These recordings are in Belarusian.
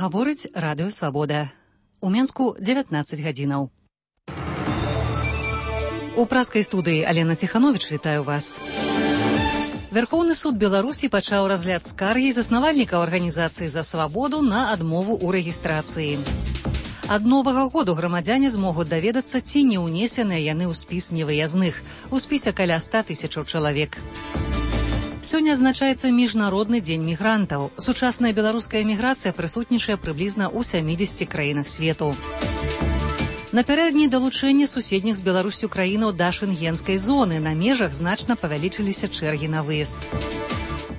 Гаворыць радыё «Свабода». У Менску 19 гадзінаў. У праскай студыі Алена Ціхановіч вітаю вас. Верховны суд Беларусі пачаў разгляд скаргі заснавальніка арганізацыі «За свабоду» на адмову ў рэгістрацыі. Ад новага году грамадзяне змогуць даведацца, ці не ўнесеныя яны ў спіс невыязных. У спісе каля 100 000 чалавек. Сёння адзначаецца міжнародны дзень мігрантаў. Сучасная беларуская міграцыя прысутнічае прыблізна ў 70 краінах свету. Напярэдадні далучэння суседніх з Беларусю краінаў да шэнгенскай зоны. На межах значна павялічыліся чэргі на выезд.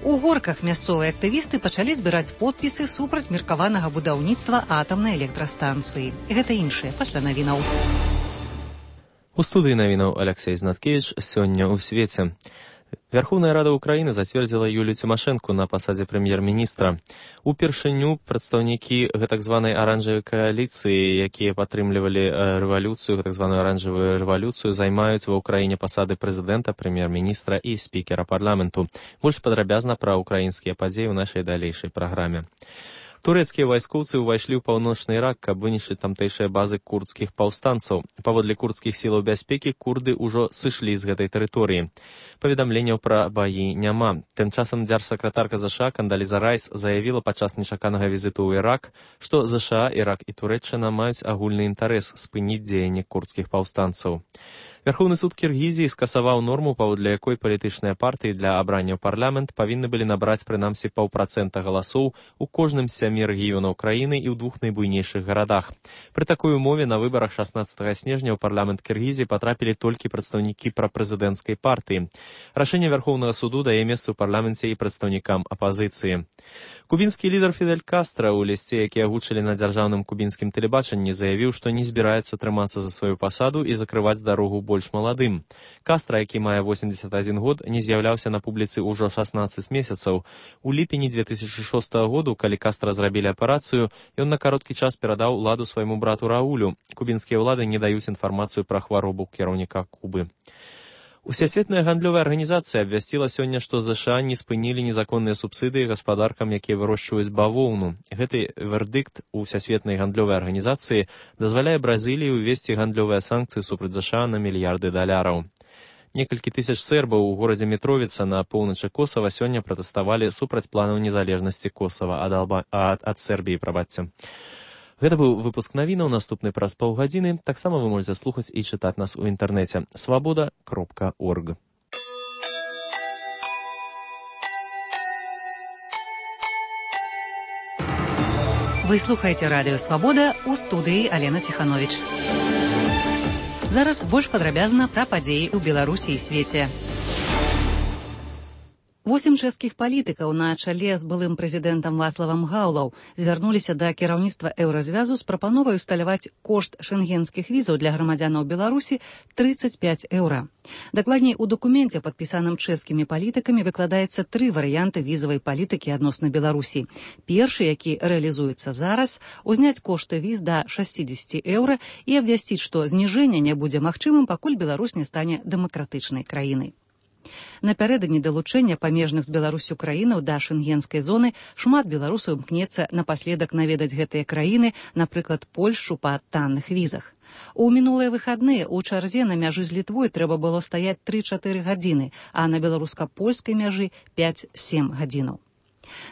У Горках мясцовыя актывісты пачалі збіраць подпісы супраць меркаванага будаўніцтва атамнай электрастанцыі. Гэта іншае пасля навінаў. У студыі навінаў Алексей Знаткевич. Сёння ў свеце. Верховная Рада Украины зацвердзіла Юлію Тимошенко на пасадзе прэм'ер-міністра. Упершыню прадстаўнікі гэтак званай аранжавай кааліцыі, якія падтрымлівалі рэвалюцыю, гэтак званую аранжавую рэвалюцыю, займаюць ва ўкраіне пасады прэзідэнта, прэм'ер-міністра і спікера парламенту. Больш падрабязна пра украінскія падзеі ў нашай далейшай праграме. Турэцкія вайскоўцы ўвайшлі ў паўночны Ірак, каб вынішчыць тамтэйшыя базы курдскіх паўстанцаў. Паводле курдскіх сілаў бяспекі, курды ўжо сышлі з гэтай тэрыторыі. Паведамленняў пра баі няма. Тым часам дзяржсакратарка ЗША Кандаліза Райс заявіла падчас нечаканага візіту ў Ірак, што ЗША, Ірак і Турэччына маюць агульны інтарэс спыніць дзеянне курдскіх паўстанцаў. Верховны суд Кіргізіі скасаваў норму, паводле якой палітычныя партыі для абрання ў парламент павінны былі набраць прынамсі 0,5% галасоў у кожным з 7 рэгіёнаў краіны і ў 2 найбуйнейшых гарадах. Пры такой умове на выбарах 16 снежня ў парламент Кіргізіі патрапілі толькі прадстаўнікі прапрэзідэнцкай партыі. Рашэнне Верховнага суду дае месца ў парламенце і прадстаўнікам апазіцыі. Кубінскі лідар Фідель Кастра ў лісце, які агучылі на дзяржаўным кубінскім тэлебачанні, заявіў, што не збіраецца трымацца за сваю пасаду і закрываць дарогу больш маладым. Кастра, які мае 81 год, не з'яўляўся на публіцы ўжо 16 месяцаў. У ліпені 2006 году, калі Кастра зрабілі аперацыю, ён на кароткі час перадаў уладу свайму брату Раулю. Кубінскія ўлады не даюць інфармацыю пра хваробу кіраўніка Кубы. Усесветная гандлёвая арганізацыя абвясціла сёння, што ЗША не спынілі незаконныя субсідыі гаспадаркам, якія вырошчваюць бавоўну. Гэты вердыкт у Усесветнай гандлёвай арганізацыі дазваляе Бразіліі ўвесці гандлёвыя санкцыі супраць ЗША на мільярды даляраў. Некалькі тысяч сербаў у горадзе Мітровіца на поўначы Косава сёння пратэставалі супраць планаў незалежнасці Косава ад Сербіі, прабачце. Гэта быў выпуск навінаў, наступны праз паўгадзіны. Таксама вы можаце слухаць і чытаць нас у інтэрнэце свабода.орг. Вы слухаеце радыё «Свабода», у студыі Алена Ціхановіч. Зараз больш падрабязна пра падзеі ў Беларусі і свеце. 8 чэшскіх палітыкаў на чале з былым прэзідэнтам Вацлавам Гаўлаў звярнуліся да кіраўніцтва Еўразвязу з прапановай усталяваць кошт шэнгенскіх візаў для грамадзянаў Беларусі 35 еўра. Дакладней, у дакуменце, падпісаным чэшскімі палітыкамі, выкладаецца 3 варыянты візавай палітыкі адносна Беларусі. Першы, які рэалізуецца зараз, узняць кошты віз да 60 еўра і абвясціць, што зніжэнне не будзе магчымым, пакуль Беларусь не стане дэмакратычнай краінай. Напярэдадні далучэння памежных з Беларусю краінаў да шэнгенскай зоны шмат беларусаў імкнецца напаследак наведаць гэтыя краіны, напрыклад, Польшчу па танных візах. У мінулыя выхадныя ў чарзе на мяжы з Літвой трэба было стаяць 3-4 гадзіны, а на беларуска-польскай мяжы 5-7 гадзінаў.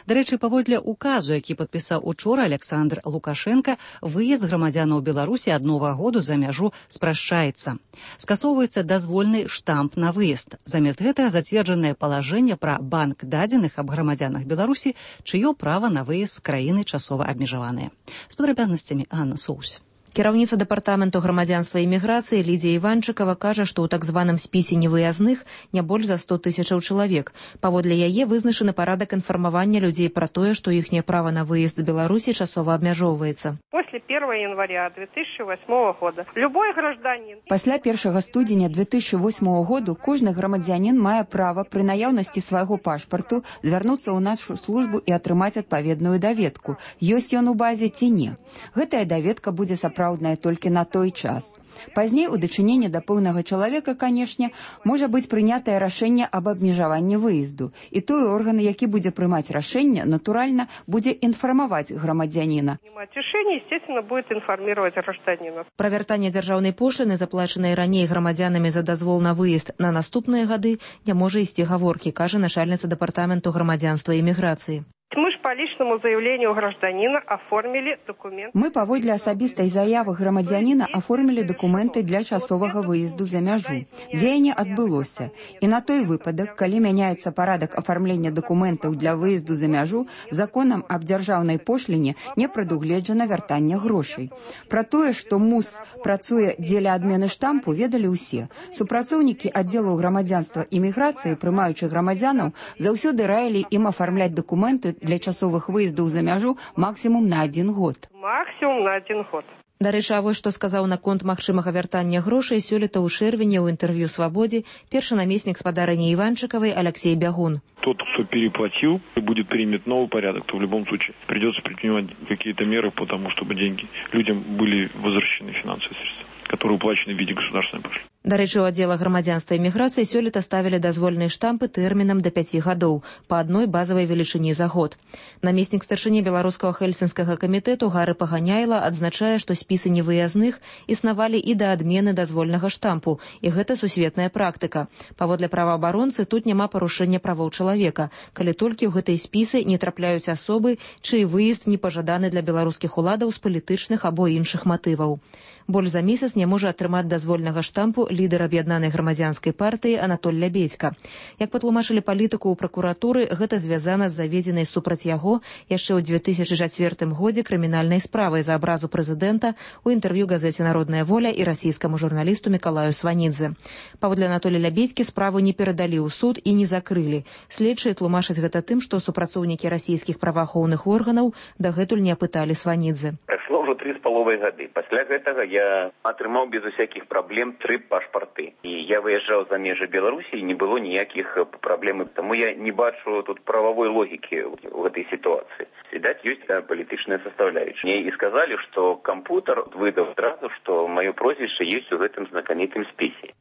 Дарэчы, паводле указу, які падпісаў учора Александр Лукашенка, выезд грамадзянаў Беларусі ад Новага году за мяжу спрашчаецца. Скасоўваецца дазвольны штамп на выезд. Замест гэтага зацверджанае палажэнне пра банк дадзеных аб грамадзянах Беларусі, чыё права на выезд з краіны часова абмежаванае. З падрабязнасцямі Анна Соус. Кіраўніца дэпартаменту грамадзянства і міграцыі Лідзія Іванчыкава кажа, што ў так званым спісе невыязных не больш за 100 000 чалавек. Паводле яе вызначаны парадак інфармавання людзей пра тое, што іхняе права на выезд з Беларусі часова абмяжоўваецца. После 1 января 2008 года любой гражданин... Пасля 1 студзеня 2008 году кожны грамадзянін мае права пры наяўнасці свайго пашпарту звярнуцца ў нашу службу і атрымаць адпаведную даведку. Ёсць ён у базе ці не. Гэтая даведка будзе сапраўдная сапраўдная толькі на той час. Пазней у дачыненні да пэўнага чалавека, канешне, можа быць прынятае рашэнне аб абмежаванні выезду. І той орган, які будзе прымаць рашэнне, натуральна, будзе інфармаваць грамадзяніна. Решение, естественно, будет информировать гражданина. Пра вяртанне дзяржаўнай пошліны, заплачанай раней грамадзянамі за дазвол на выезд на наступныя гады, не можа ісці гаворкі, кажа начальніца дэпартаменту грамадзянства і міграцыі. Мы же по личному заявлению гражданина оформили документы. Мы паводле асабістай заявы грамадзяніна аформілі дакументы для часовага выезду за мяжу. Дзеянне адбылося. І на той выпадак, калі мяняецца парадак афармлення дакументаў для выезду за мяжу, законам аб дзяржаўнай пошліне не прадугледжана вяртання грошай. Пра тое, што МУС працуе дзеля адмены штампу, ведалі ўсе. Супрацоўнікі аддзелу грамадзянства і міграцыі, прымаючы грамадзянаў, заўсёды раілі ім афармляць дакументы для часовых выездаў за мяжу максімум на 1 год. Максимум на 1 год. Дарэчы, а вось што сказаў наконт магчымага вяртання грошай сёлета ў чэрвені ў інтэрв'ю «Свабодзе» першы намеснік спадарыні Іванчыкавай Алексей Бягун. Тот, кто переплатил и будет принят новый порядок, то в любом случае придется предпринимать какие-то меры по тому, чтобы деньги людям были возвращены, финансовые средства, которые уплачены в виде государственной пошлины. Дарэчы, у аддзела грамадзянства і міграцыі сёлета ставілі дазвольныя штампы тэрмінам да 5 гадоў, па адной базавай велічыні за год. Намеснік старшыні беларускага хельсінскага камітэту Гары Паганяйла адзначае, што спісы невыязных існавалі і да адмены дазвольнага штампу, і гэта сусветная практыка. Паводле праваабаронцы, тут няма парушэння правоў чалавека, калі толькі ў гэтыя спісы не трапляюць асобы, чый выезд не пажаданы для беларускіх уладаў з палітычных або іншых матываў. Больш за месяц не можа атрымаць дазвольнага штампу лідар аб'яднанай грамадзянскай партыі Анатоль Лябедзька. Як патлумачылі палітыку ў пракуратуры, гэта звязана з заведзенай супраць яго яшчэ ў 2004 годзе крымінальнай справай за абразу прэзідэнта у інтэрв'ю газеце «Народная воля» і расійскаму журналісту Мікалаю Сванідзе. Паводле Анатоля Лябедзькі справу не перадалі ў суд і не закрылі. Следчыя тлумачаць гэта тым, што супрацоўнікі расійскіх праваахоўных органаў дагэтуль не апыталі Сванідзе. Прайшло ўжо 3,5 гады. Пасля гэтага я атрымаў без усякіх праблем 3 пашпарты. І я выязджаў за межы Беларусі, і не было ніякіх праблем. Таму я не бачу тут правовой логікі ў гэтай сітуацыі. Відаць, ёсць палітычная составляющая. Мне і сказалі, што кампутер выдаў адразу, што маё прозвішча ёсць у гэтым знакамітым спісе.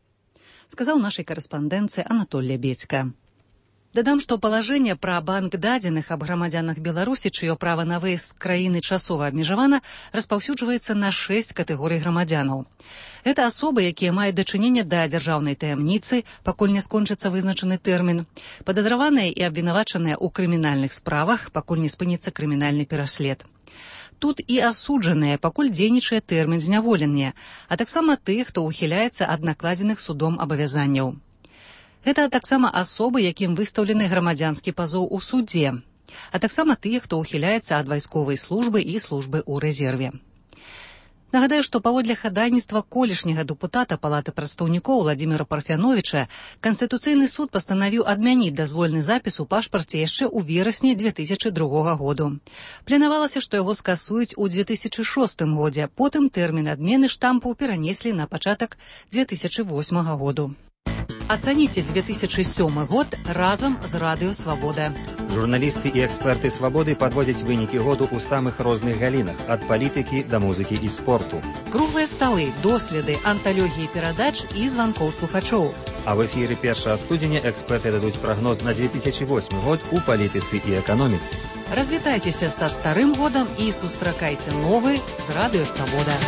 Сказаў нашай карэспандэнцыі Анатоль Лябедзька. Дадам, што палажэнне пра банк дадзеных аб грамадзянах Беларусі, чыё права на выезд з краіны часова абмежавана, распаўсюджваецца на 6 катэгорый грамадзянаў. Гэта асобы, якія маюць дачыненне да дзяржаўнай таямніцы, пакуль не скончыцца вызначаны тэрмін, падазраваныя і абвінавачаныя ў крымінальных справах, пакуль не спыніцца крымінальны пераслед. Тут і асуджаныя, пакуль дзейнічае тэрмін зняволення, а таксама тых, хто ухіляецца ад накладзеных судом абавязанняў. Гэта таксама асобы, якім выстаўлены грамадзянскі пазоў у судзе, а таксама тыя, хто ухіляецца ад вайсковай службы і службы ў рэзерве. Нагадаю, што паводле хадайніцтва колішняга дэпутата Палаты прадстаўнікоў Владзіміра Парфяновіча Канстытуцыйны суд пастанавіў адмяніць дазвольны запіс у пашпарце яшчэ ў верасні 2002 году. Планавалася, што яго скасуюць у 2006 годзе, потым тэрмін адмены штампу перанеслі на пачатак 2008 году. Ацаніце 2007 год разам з Радыё Свабода. Журналісты і эксперты Свабоды падводзяць вынікі году ў самых розных галінах, ад палітыкі да музыкі і спорту. Круглыя сталы, доследы, анталогіі перадач і званкоў слухачоў. А в эфіры 1 студзеня эксперты дадуць прагноз на 2008 год у палітыцы і эканоміцы. Развітайцеся са старым годам і сустракайце новы з Радыё Свабода.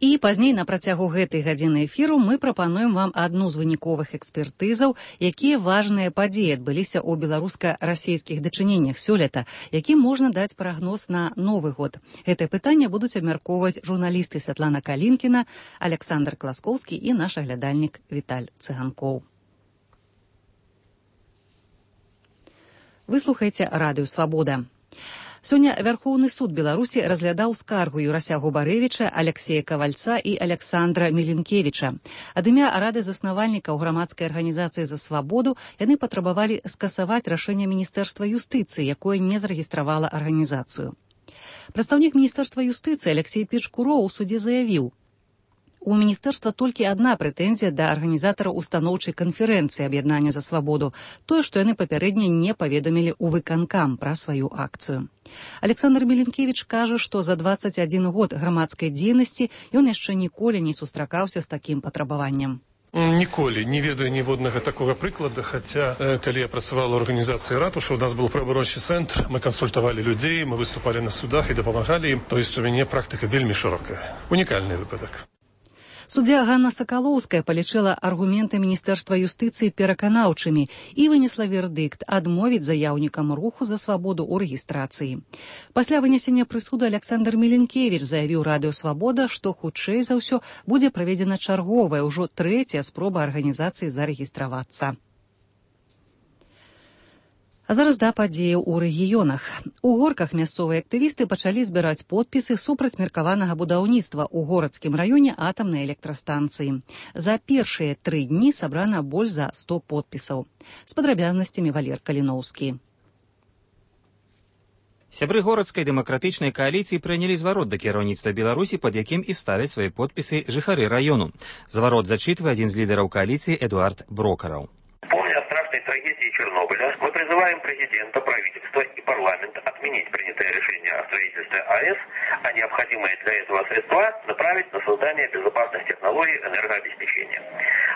І пазней на працягу гэтай гадзіны эфіру мы прапануем вам адну з выніковых экспертызаў, якія важныя падзеі адбыліся ў беларуска-расійскіх дачыненнях сёлета, якім можна даць прагноз на новы год. Гэтае пытанне будуць абмяркоўваць журналісты Святлана Калінкіна, Александр Класкоўскі і наш аглядальнік Віталь Цыганкоў. Вы слухаеце Радыё Свабода. Сёння Вярхоўны суд Беларусі разглядаў скаргу Юрася Губарэвіча, Алексея Кавальца і Александра Міленкевіча. Ад імя рады заснавальнікаў грамадскай арганізацыі «За свабоду» яны патрабавалі скасаваць рашэнне Міністэрства юстыцыі, якое не зарэгістравала арганізацыю. Прадстаўнік Міністэрства юстыцыі Алексей Печкуроў у судзе заявіў: У міністэрства толькі адна прэтэнзія да арганізатараў устаноўчай канферэнцыі аб'яднання за свабоду, тое, што яны папярэдне не паведамілі ў выканкам пра сваю акцыю. Александр Міленкевіч кажа, што за 21 год грамадскай дзейнасці ён яшчэ ніколі не сустракаўся з такім патрабаваннем. Ніколі не ведаю ніводнага такога прыклада, хаця, калі я працавала ў арганізацыі ратушы, у нас был правабарончы цэнтр, мы кансультавалі людзей, мы выступалі на судах і дапамагалі ім. То есть у мяне практыка вельмі шырокая. Унікальны выпадак. Суддзя Ганна Сакалоўская палічыла аргументы Міністэрства юстыцыі пераканаўчымі і вынесла вердыкт адмовіць заяўнікам руху за свабоду ў рэгістрацыі. Пасля вынесення прысуду Александр Міленкевіч заявіў Радыё Свабода, што хутчэй за ўсё будзе праведзена чарговая, ўжо трэцяя спроба арганізацыі зарэгістравацца. А зараз да падзеяў у рэгіёнах. У Горках мясцовыя актывісты пачалі збіраць подпісы супраць меркаванага будаўніцтва ў горадскім раёне атамнай электрастанцыі. За першыя 3 дні сабрана больш за 100 подпісаў. З падрабязнасцямі Валер Каліноўскі. Сябры горадскай дэмакратычнай кааліцыі прынялі зварот да кіраўніцтва Беларусі, пад якім і ставяць свае подпісы жыхары раёну. Зварот зачитывае адзін з лідараў кааліцыі Эдуард Брокараў. Мы призываем президента, правительство и парламент отменить принятое решение о строительстве АЭС, а необходимые для этого средства направить на создание безопасных технологий энергообеспечения.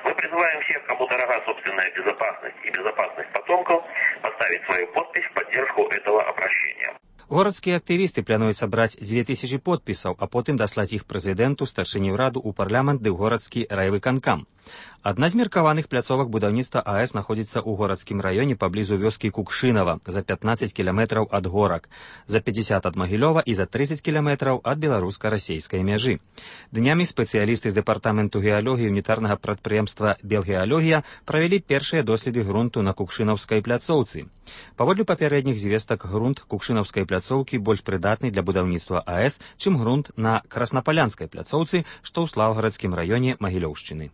Мы призываем всех, кому дорога собственная безопасность и безопасность потомков, поставить свою подпись в поддержку этого обращения. Горадскія актывісты плануюць сабраць 2000 подпісаў, а потым даслаць іх прэзідэнту, старшыні ўраду, у парламент ды ў горадскі райвыканкам. Адна з меркаваных пляцовак будаўніцтва АЭС знаходзіцца ў горадскім раёне паблізу вёскі Кукшынава, за 15 кіламетраў ад Горак, за 50 ад Магілёва і за 30 кіламетраў ад беларуска-расейскай мяжы. Днямі спецыялісты з дэпартаменту геалогіі унітарнага прадпрыемства «Белгеалогія» правялі першыя доследы грунту на Кукшынаўскай пляцоўцы. Паводле папярэдніх звестак, грунт Кукшынаўскай пляцоўкі больш прыдатны для будаўніцтва АЭС, чым грунт на Краснапалянскай пляцоўцы, што ў Слаўгарадскім раёне Магілёўшчыны.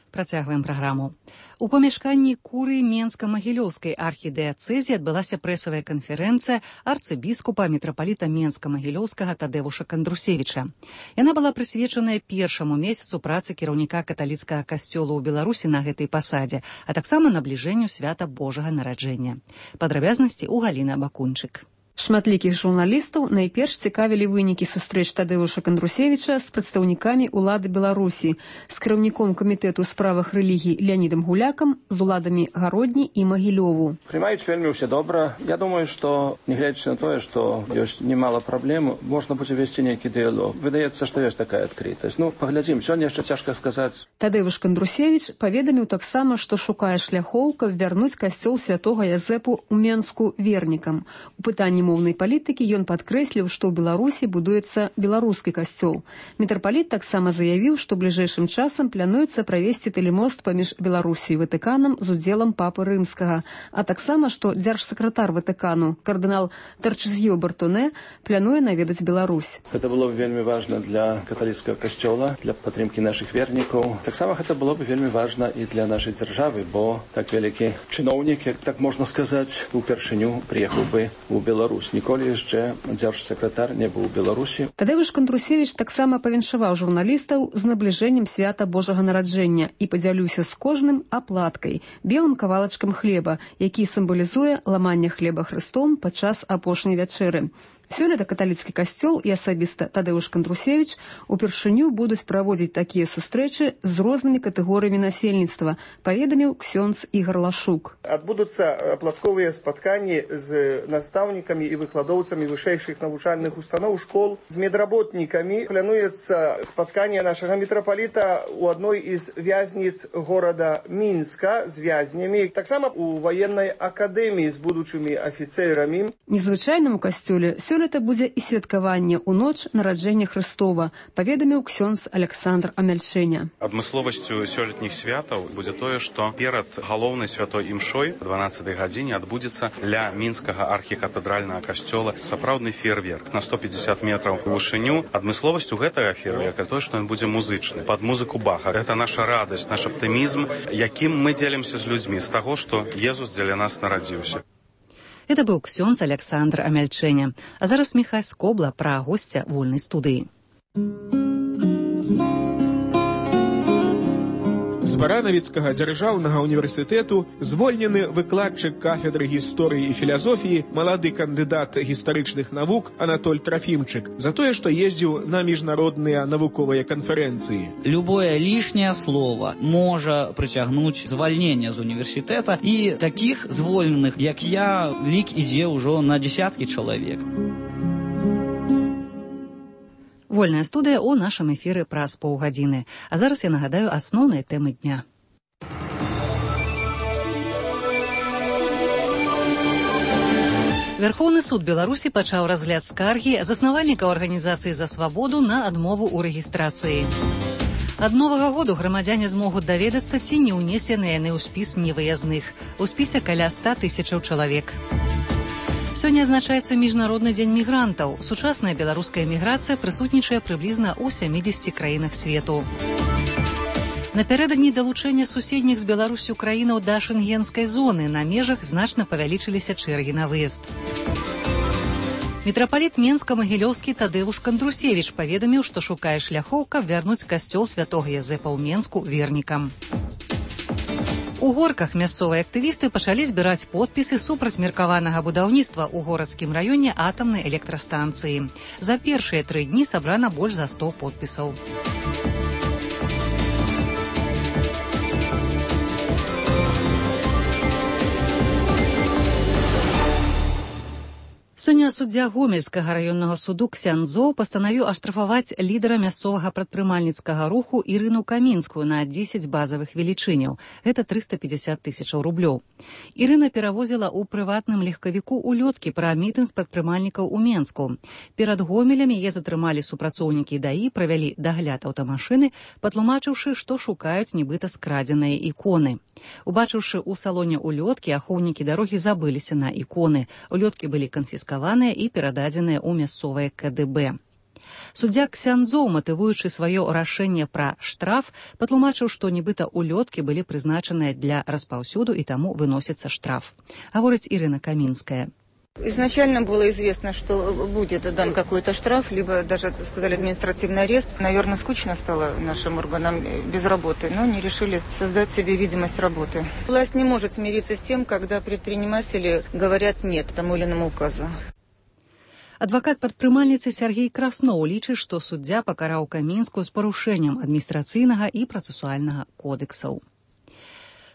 Працягваем праграму. У памяшканні курыі Менска-Магілёўскай архідыяцэзі адбылася прэсавая канферэнцыя арцыбіскупа мітрапаліта Менска-Магілёўскага Тадзеуша Кандрусевіча. Яна была прысвечаная першаму месяцу працы кіраўніка каталіцкага касцёла ў Беларусі на гэтай пасадзе, а таксама набліжэнню свята Божага нараджэння. Падрабязнасці ў Галіны Абакунчык. Шматлікіх журналістаў найперш цікавілі вынікі сустрэч Тадзеуша Кандрусевіча з прадстаўнікамі ўлады Беларусі, з кіраўніком камітэту ў справах рэлігій Леонідам Гулякам, з уладамі Гародні і Магілёву. Прымаюць вельмі ўсе добра. Я думаю, што, нягледзячы на тое, што ёсць немало праблем, можна будзе весці нейкі дыялог. Выдаецца, што ёсць такая адкрытасць. Паглядзім, сёння яшчэ цяжка сказаць. Тадзеуш Кандрусевіч паведаміў таксама, што шукае шляхоў, каб вярнуць касцёл святога Язэпу ў Менску вернікам. У пытанні моўнай палітыкі ён падкрэсліў, што ў Беларусі будуецца беларускі касцёл. Мітрапаліт таксама заявіў, што бліжэйшым часам плануецца правесці тэлемост паміж Беларусю і Ватыканам з удзелам папы рымскага, а таксама, што дзяржсакратар Ватыкану, кардынал Тарчызьё Бартоне, плануе наведаць Беларусь. Гэта было б вельмі важна для каталіцкага касцёла, для падтрымкі нашых вернікаў. Таксама гэта было б вельмі важна і для нашай дзяржавы, бо так вялікі чыноўнік, як так можна сказаць, упершыню прыехаў бы ў Беларусь. Ніколі яшчэ дзяржсакратар не быў у Беларусі. Тадзеуш Кандрусевіч таксама павіншаваў журналістаў з набліжэннем свята Божага нараджэння і падзяліўся з кожным аплаткай, белым кавалачкам хлеба, які сімвалізуе ламанне хлеба Хрыстом падчас апошняй вячэры. Сёлета каталіцкі касцёл і асабіста Тадзеуш Кандрусевіч упершыню будуць праводзіць такія сустрэчы з рознымі катэгорыямі насельніцтва, паведаміў ксёндз Ігар Лашук. Адбудуцца аплатковыя спатканні з настаўнікамі і выкладоўцамі вышэйшых навучальных устаноў, школ, з медработнікамі. Плануецца спатканне нашага мітрапаліта ў адной з вязніц горада Мінска з вязнямі, таксама у ваеннай акадэміі з будучымі афіцэрамі. Незвычайнаму касцёле сёлета будзе і святкаванне ў ноч нараджэння Хрыстова, паведаміў ксёндз Александр Амяльчэня. Адмысловасцю сёлетніх святаў будзе тое, што перад галоўнай святой імшой 12-й гадзіне адбудзецца ля мінскага архікатэдральнага касцёла сапраўдны феерверк на 150 метраў у вышыню. Адмысловасцю гэтага феерверка тое, што ён будзе музычны, пад музыку Баха. Гэта наша радасць, наш аптымізм, якім мы дзелімся з людзьмі, з таго, што Езус дзеля нас нарадзіўся. Это быў ксёндз Александр Амяльчэня. А зараз Міхась Кобла пра госця вольнай студыі. Баранавіцкага дзяржаўнага універсітэту звольнены выкладчык кафедры гісторыі і філасофіі, малады кандыдат гістарычных навук Анатоль Трофімчык за тое, што ездзіў на міжнародныя навуковыя канферэнцыі. Любое лишнее слово можа прыцягнуць звальнення з універсітэта, і такіх звольненых, як я, лік ідзе ўжо на десяткі чалавек. Вольная студыя ў нашым эфіры праз паўгадзіны. А зараз я нагадаю асноўныя тэмы дня. Верховны суд Беларусі пачаў разгляд скаргі заснавальнікаў арганізацыі «За свабоду» на адмову ў рэгістрацыі. Ад новага году грамадзяне змогуць даведацца, ці не ўнесены яны ў спіс невыязных. У спісе каля 100 000 чалавек. Сёння адзначаецца міжнародны дзень мігрантаў. Сучасная беларуская міграцыя прысутнічае прыблізна ў 70 краінах свету. Напярэдадні далучэння суседніх з Беларусю краінаў да шэнгенскай зоны на межах значна павялічыліся чэргі на выезд. Мітрапаліт Менска-Магілёўскі Тадеуш Кандрусевіч паведаміў, што шукае шляхоў, каб вярнуць касцёл святога Язэпа ў Менску вернікам. У Горках мясцовыя актывісты пачалі збіраць подпісы супраць меркаванага будаўніцтва ў горадскім раёне атамнай электрастанцыі. За першыя 3 дні сабрана больш за 100 подпісаў. Сёння суддзя Гомельскага раённага суду Ксяндзоў пастанавіў аштрафаваць лідара мясцовага прадпрымальніцкага руху Ірыну Камінскую на 10 базавых велічыняў. Гэта 350 000 рублёў. Ірына перавозіла ў прыватным легкавіку улёткі пра мітынг прадпрымальнікаў у Менску. Перад Гомелем яе затрымалі супрацоўнікі ДАІ, правялі дагляд аўтамашыны, патлумачыўшы, што шукаюць нібыта скрадзеныя іконы. Убачыўшы ў салоне улёткі, ахоўнікі дарогі забыліся на іконы. Улёткі былі канфіскаваныя і перададзеныя ў мясцовае КДБ. Суддзя Ксяндзоў, матывуючы сваё рашэнне пра штраф, патлумачыў, што нібыта улёткі былі прызначаныя для распаўсюду і таму выносіцца штраф. Гаворыць Ірына Камінская. Изначально было известно, что будет дан какой-то штраф, либо даже, сказали, административный арест. Наверное, скучно стало нашим органам без работы, но они решили создать себе видимость работы. Власть не может смириться с тем, когда предприниматели говорят «нет» тому или иному указу. Адвакат прадпрымальніцы Сергей Красноў лічыць, што суддзя пакараў Камінскую з парушэннем адміністрацыйнага і працэсуальнага кодексаў.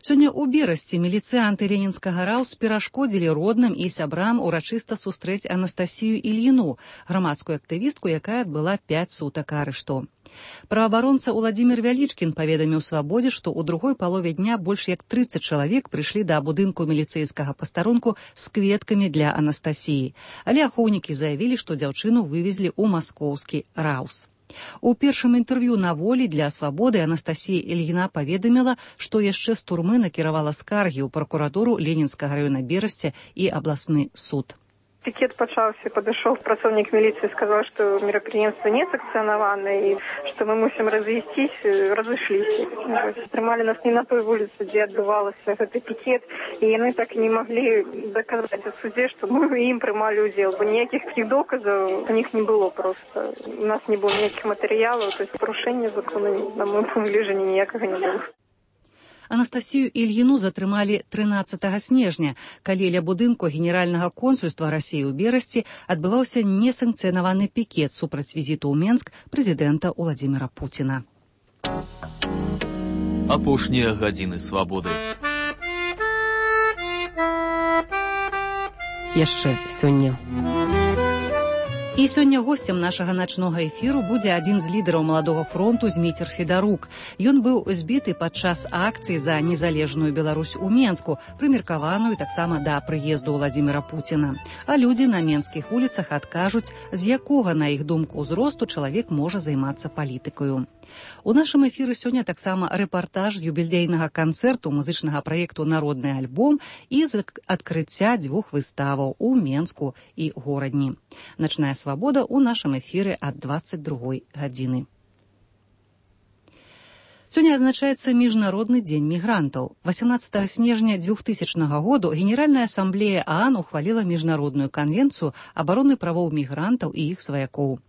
Сёння ў Берасці міліцыянты ленінскага РАУС перашкодзілі родным і сябрам урачыста сустрэць Анастасію Ільіну, грамадскую актывістку, якая адбыла 5 сутак арышту. Праваабаронца Уладзімір Вялічкін паведаміў «Свабодзе», што ў другой палове дня больш як 30 чалавек прыйшлі да будынку міліцэйскага пастарунку з кветкамі для Анастасіі. Але ахоўнікі заявілі, што дзяўчыну вывезлі ў маскоўскі РАУС. У першым інтэрв'ю на волі для «Свабоды» Анастасія Ільіна паведаміла, што яшчэ з турмы накіравала скаргі ў пракуратуру Ленінскага раёна Берасці і абласны суд. Пикет пачаўся, падышоў працоўнік міліцыі, сказаў, што мерапрыемства не санкцыянавана і што мы мусім разышліся. Трымалі нас не на той вуліцы, дзе адбывалася гэты пікет, і яны так і не маглі даказаць у судзе, што мы ім прымалі ўдзел, бо ніякіх такіх доказаў у них не было просто. У нас не было ніякіх матэрыялаў, то есть парушэння закону на моем погляджанні ніякага не было. Анастасію Ільіну затрымалі 13 снежня, калі ля будынку генеральнага консульства Расіі ў Берасці адбываўся несанкцыянаваны пікет супраць візіту ў Менск прэзідэнта Уладзіміра Пуціна. Апошнія гадзіны свабоды. Яшчэ сёння. І сёння госцем нашага начнога эфіру будзе адзін з лідараў маладога фронту Зміцер Федарук. Ён быў збіты падчас акцыі за незалежную Беларусь у Менску, прымеркаваную таксама да прыезду Уладзіміра Пуціна. А людзі на менскіх вуліцах адкажуць, з якога, на іх думку, узросту чалавек можа займацца палітыкаю. У нашым эфіры сёння таксама рэпартаж з юбілейнага канцэрту музычнага праекту «Народны альбом» і з адкрыцця 2 выставаў у Менску і Горадні. Начная свабода ў нашым эфіры ад 22 гадзіны. Сёння адзначаецца міжнародны дзень мігрантаў. 18 снежня 2000 году Генеральная асамблея ААН ухваліла міжнародную канвенцыю абароны правоў мігрантаў і іх сваякоў.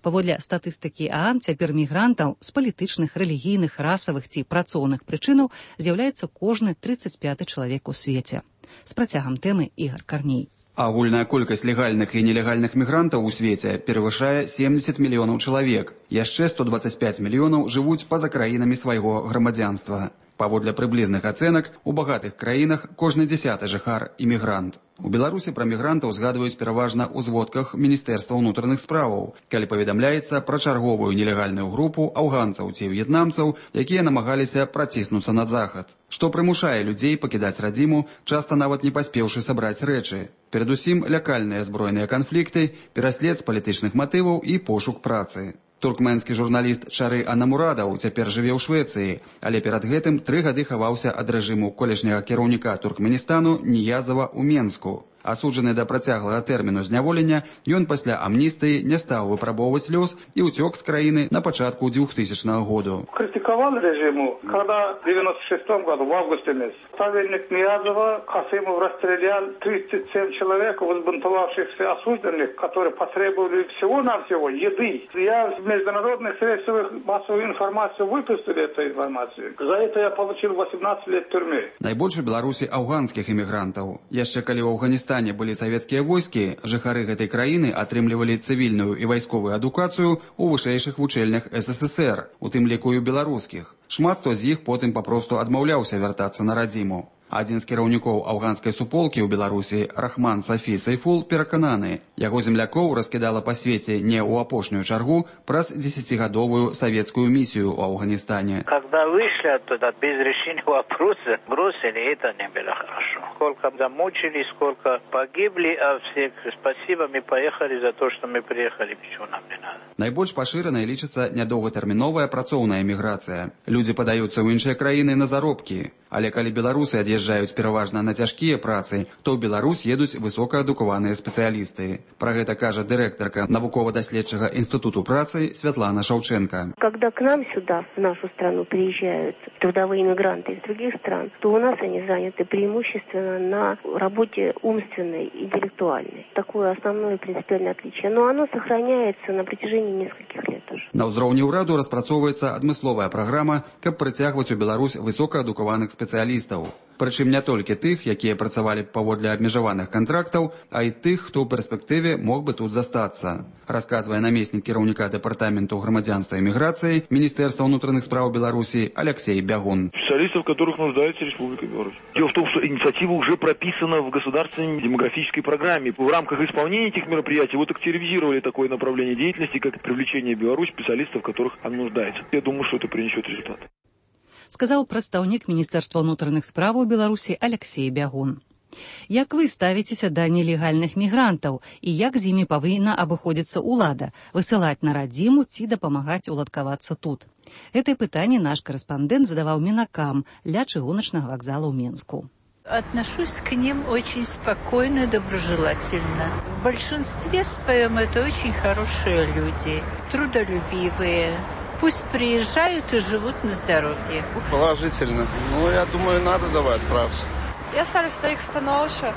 Паводле статыстыкі ААН, цяпер мігрантаў з палітычных, рэлігійных, расавых ці працоўных прычынаў з'яўляецца кожны 35-ы чалавек у свеце. З працягам тэмы Ігор Карней. Агульная колькасць легальных і нелегальных мігрантаў у свеце перавышае 70 мільёнаў чалавек. Яшчэ 125 мільёнаў жывуць па-за краінамі свайго грамадзянства. Паводле прыблізных ацэнак, у багатых краінах кожны 10-ы жыхар – імігрант. У Беларусі пра мігрантаў згадваюць пераважна ў зводках Міністэрства ўнутраных справаў, калі паведамляецца пра чарговую нелегальную групу афганцаў ці в'етнамцаў, якія намагаліся праціснуцца на захад. Што прымушае людзей пакідаць радзіму, часта нават не паспеўшы сабраць рэчы. Перадусім, лякальныя збройныя канфлікты, пераслед з палітычных матываў і пошук працы. Туркменскі журналіст Чары Анамурадаў цяпер жыве ў Швецыі, але перад гэтым 3 гады хаваўся ад рэжыму колішняга кіраўніка Туркменістану Ніязава ў Менску. Асуджаны да працяглага тэрміну зняволення, ён пасля амністыі не стаў выпрабоўваць лёс і ўцёк з краіны на пачатку 2000 году. Критиковал режиму, когда в 1996 году, в августе месяце, ставленник Ниязова Касымов расстрелял 37 человек, возбунтовавшихся осужденных, которые потребовали всего-навсего еды. Я в международных средствах массовой информации выпустил эту информацию. За это я получил 18 лет тюрьмы. Найбольш у Беларусі афганскіх імігрантаў. Яшчэ калі ў Афганістане былі савецкія войскі, жыхары гэтай краіны атрымлівалі цывільную і вайсковую адукацыю ў вышэйшых вучэльнях СССР, у тым ліку і беларускіх. Шмат хто з іх потым папросту адмаўляўся вяртацца на радзіму. Адзін з кіраўнікоў афганскай суполкі ў Беларусі, Рахман Сафі Сайфул, перакананы, яго землякоў раскідала па свеце не ў апошнюю чаргу праз 10-гадовую савецкую місію ў Афганістане. Когда вышли оттуда без решения вопроса, бросили, это не было хорошо. Сколько замучились, сколько погибли, а всех спасибо, мы поехали за то, что мы приехали, ничего нам не надо. Найбольш пашыранай лічыцца нядоўгатэрміновая працоўная міграцыя. Людзі падаюцца ў іншыя краіны на заробкі. Але калі беларусы ад'язджаюць пераважна на цяжкія працы, то ў Беларусь едуць высокаадукаваныя спецыялісты. Пра гэта кажа дырэктарка навукова-даследчага інстытуту працы Святлана Шаўченка. Когда к нам сюда, в нашу страну, приезжают трудовые мигранты из других стран, то у нас они заняты преимущественно на работе умственной, интеллектуальной. Такое основное принципиальное отличие. Но оно сохраняется на протяжении нескольких лет уже. На ўзроўні ўраду распрацоўваецца адмысловая праграма, каб прыцягваць у Беларусь высокаадукаваных спецыялістаў. Прычым не толькі тых, якія працавалі паводле абмежаваных кантрактаў, а і тых, хто ў перспектыве мог бы тут застацца. Расказвае намеснік кіраўніка дэпартаменту грамадзянства і міграцыі Міністэрства ўнутраных спраў Беларусі Алексей Бягун. Специалистов, в которых нуждается Республика Беларусь. Дело в том, что инициатива уже прописана в государственной демографической программе. В рамках исполнения этих мероприятий вот активизировали такое направление деятельности, как привлечение в Беларусь специалистов, в которых она нуждается. Я думаю, что это принесет результат. Сказаў прадстаўнік Міністэрства ўнутраных справаў Беларусі Алексей Бягун. Як вы ставіцеся да нелегальных мігрантаў і як з імі павінна абыходзіцца ўлада, высылаць на радзіму ці дапамагаць уладкавацца тут? Гэтае пытанне наш корэспандэнт задаваў мінакам ля чыгуначнага вакзала ў Менску. Отношусь к ним очень спокойно, доброжелательно. В большинстве своем это очень хорошие люди, трудолюбивые. Пусть приезжают и живут на здоровье. Положительно. Ну, я думаю, надо давать працу. Я ставлю іх становішча.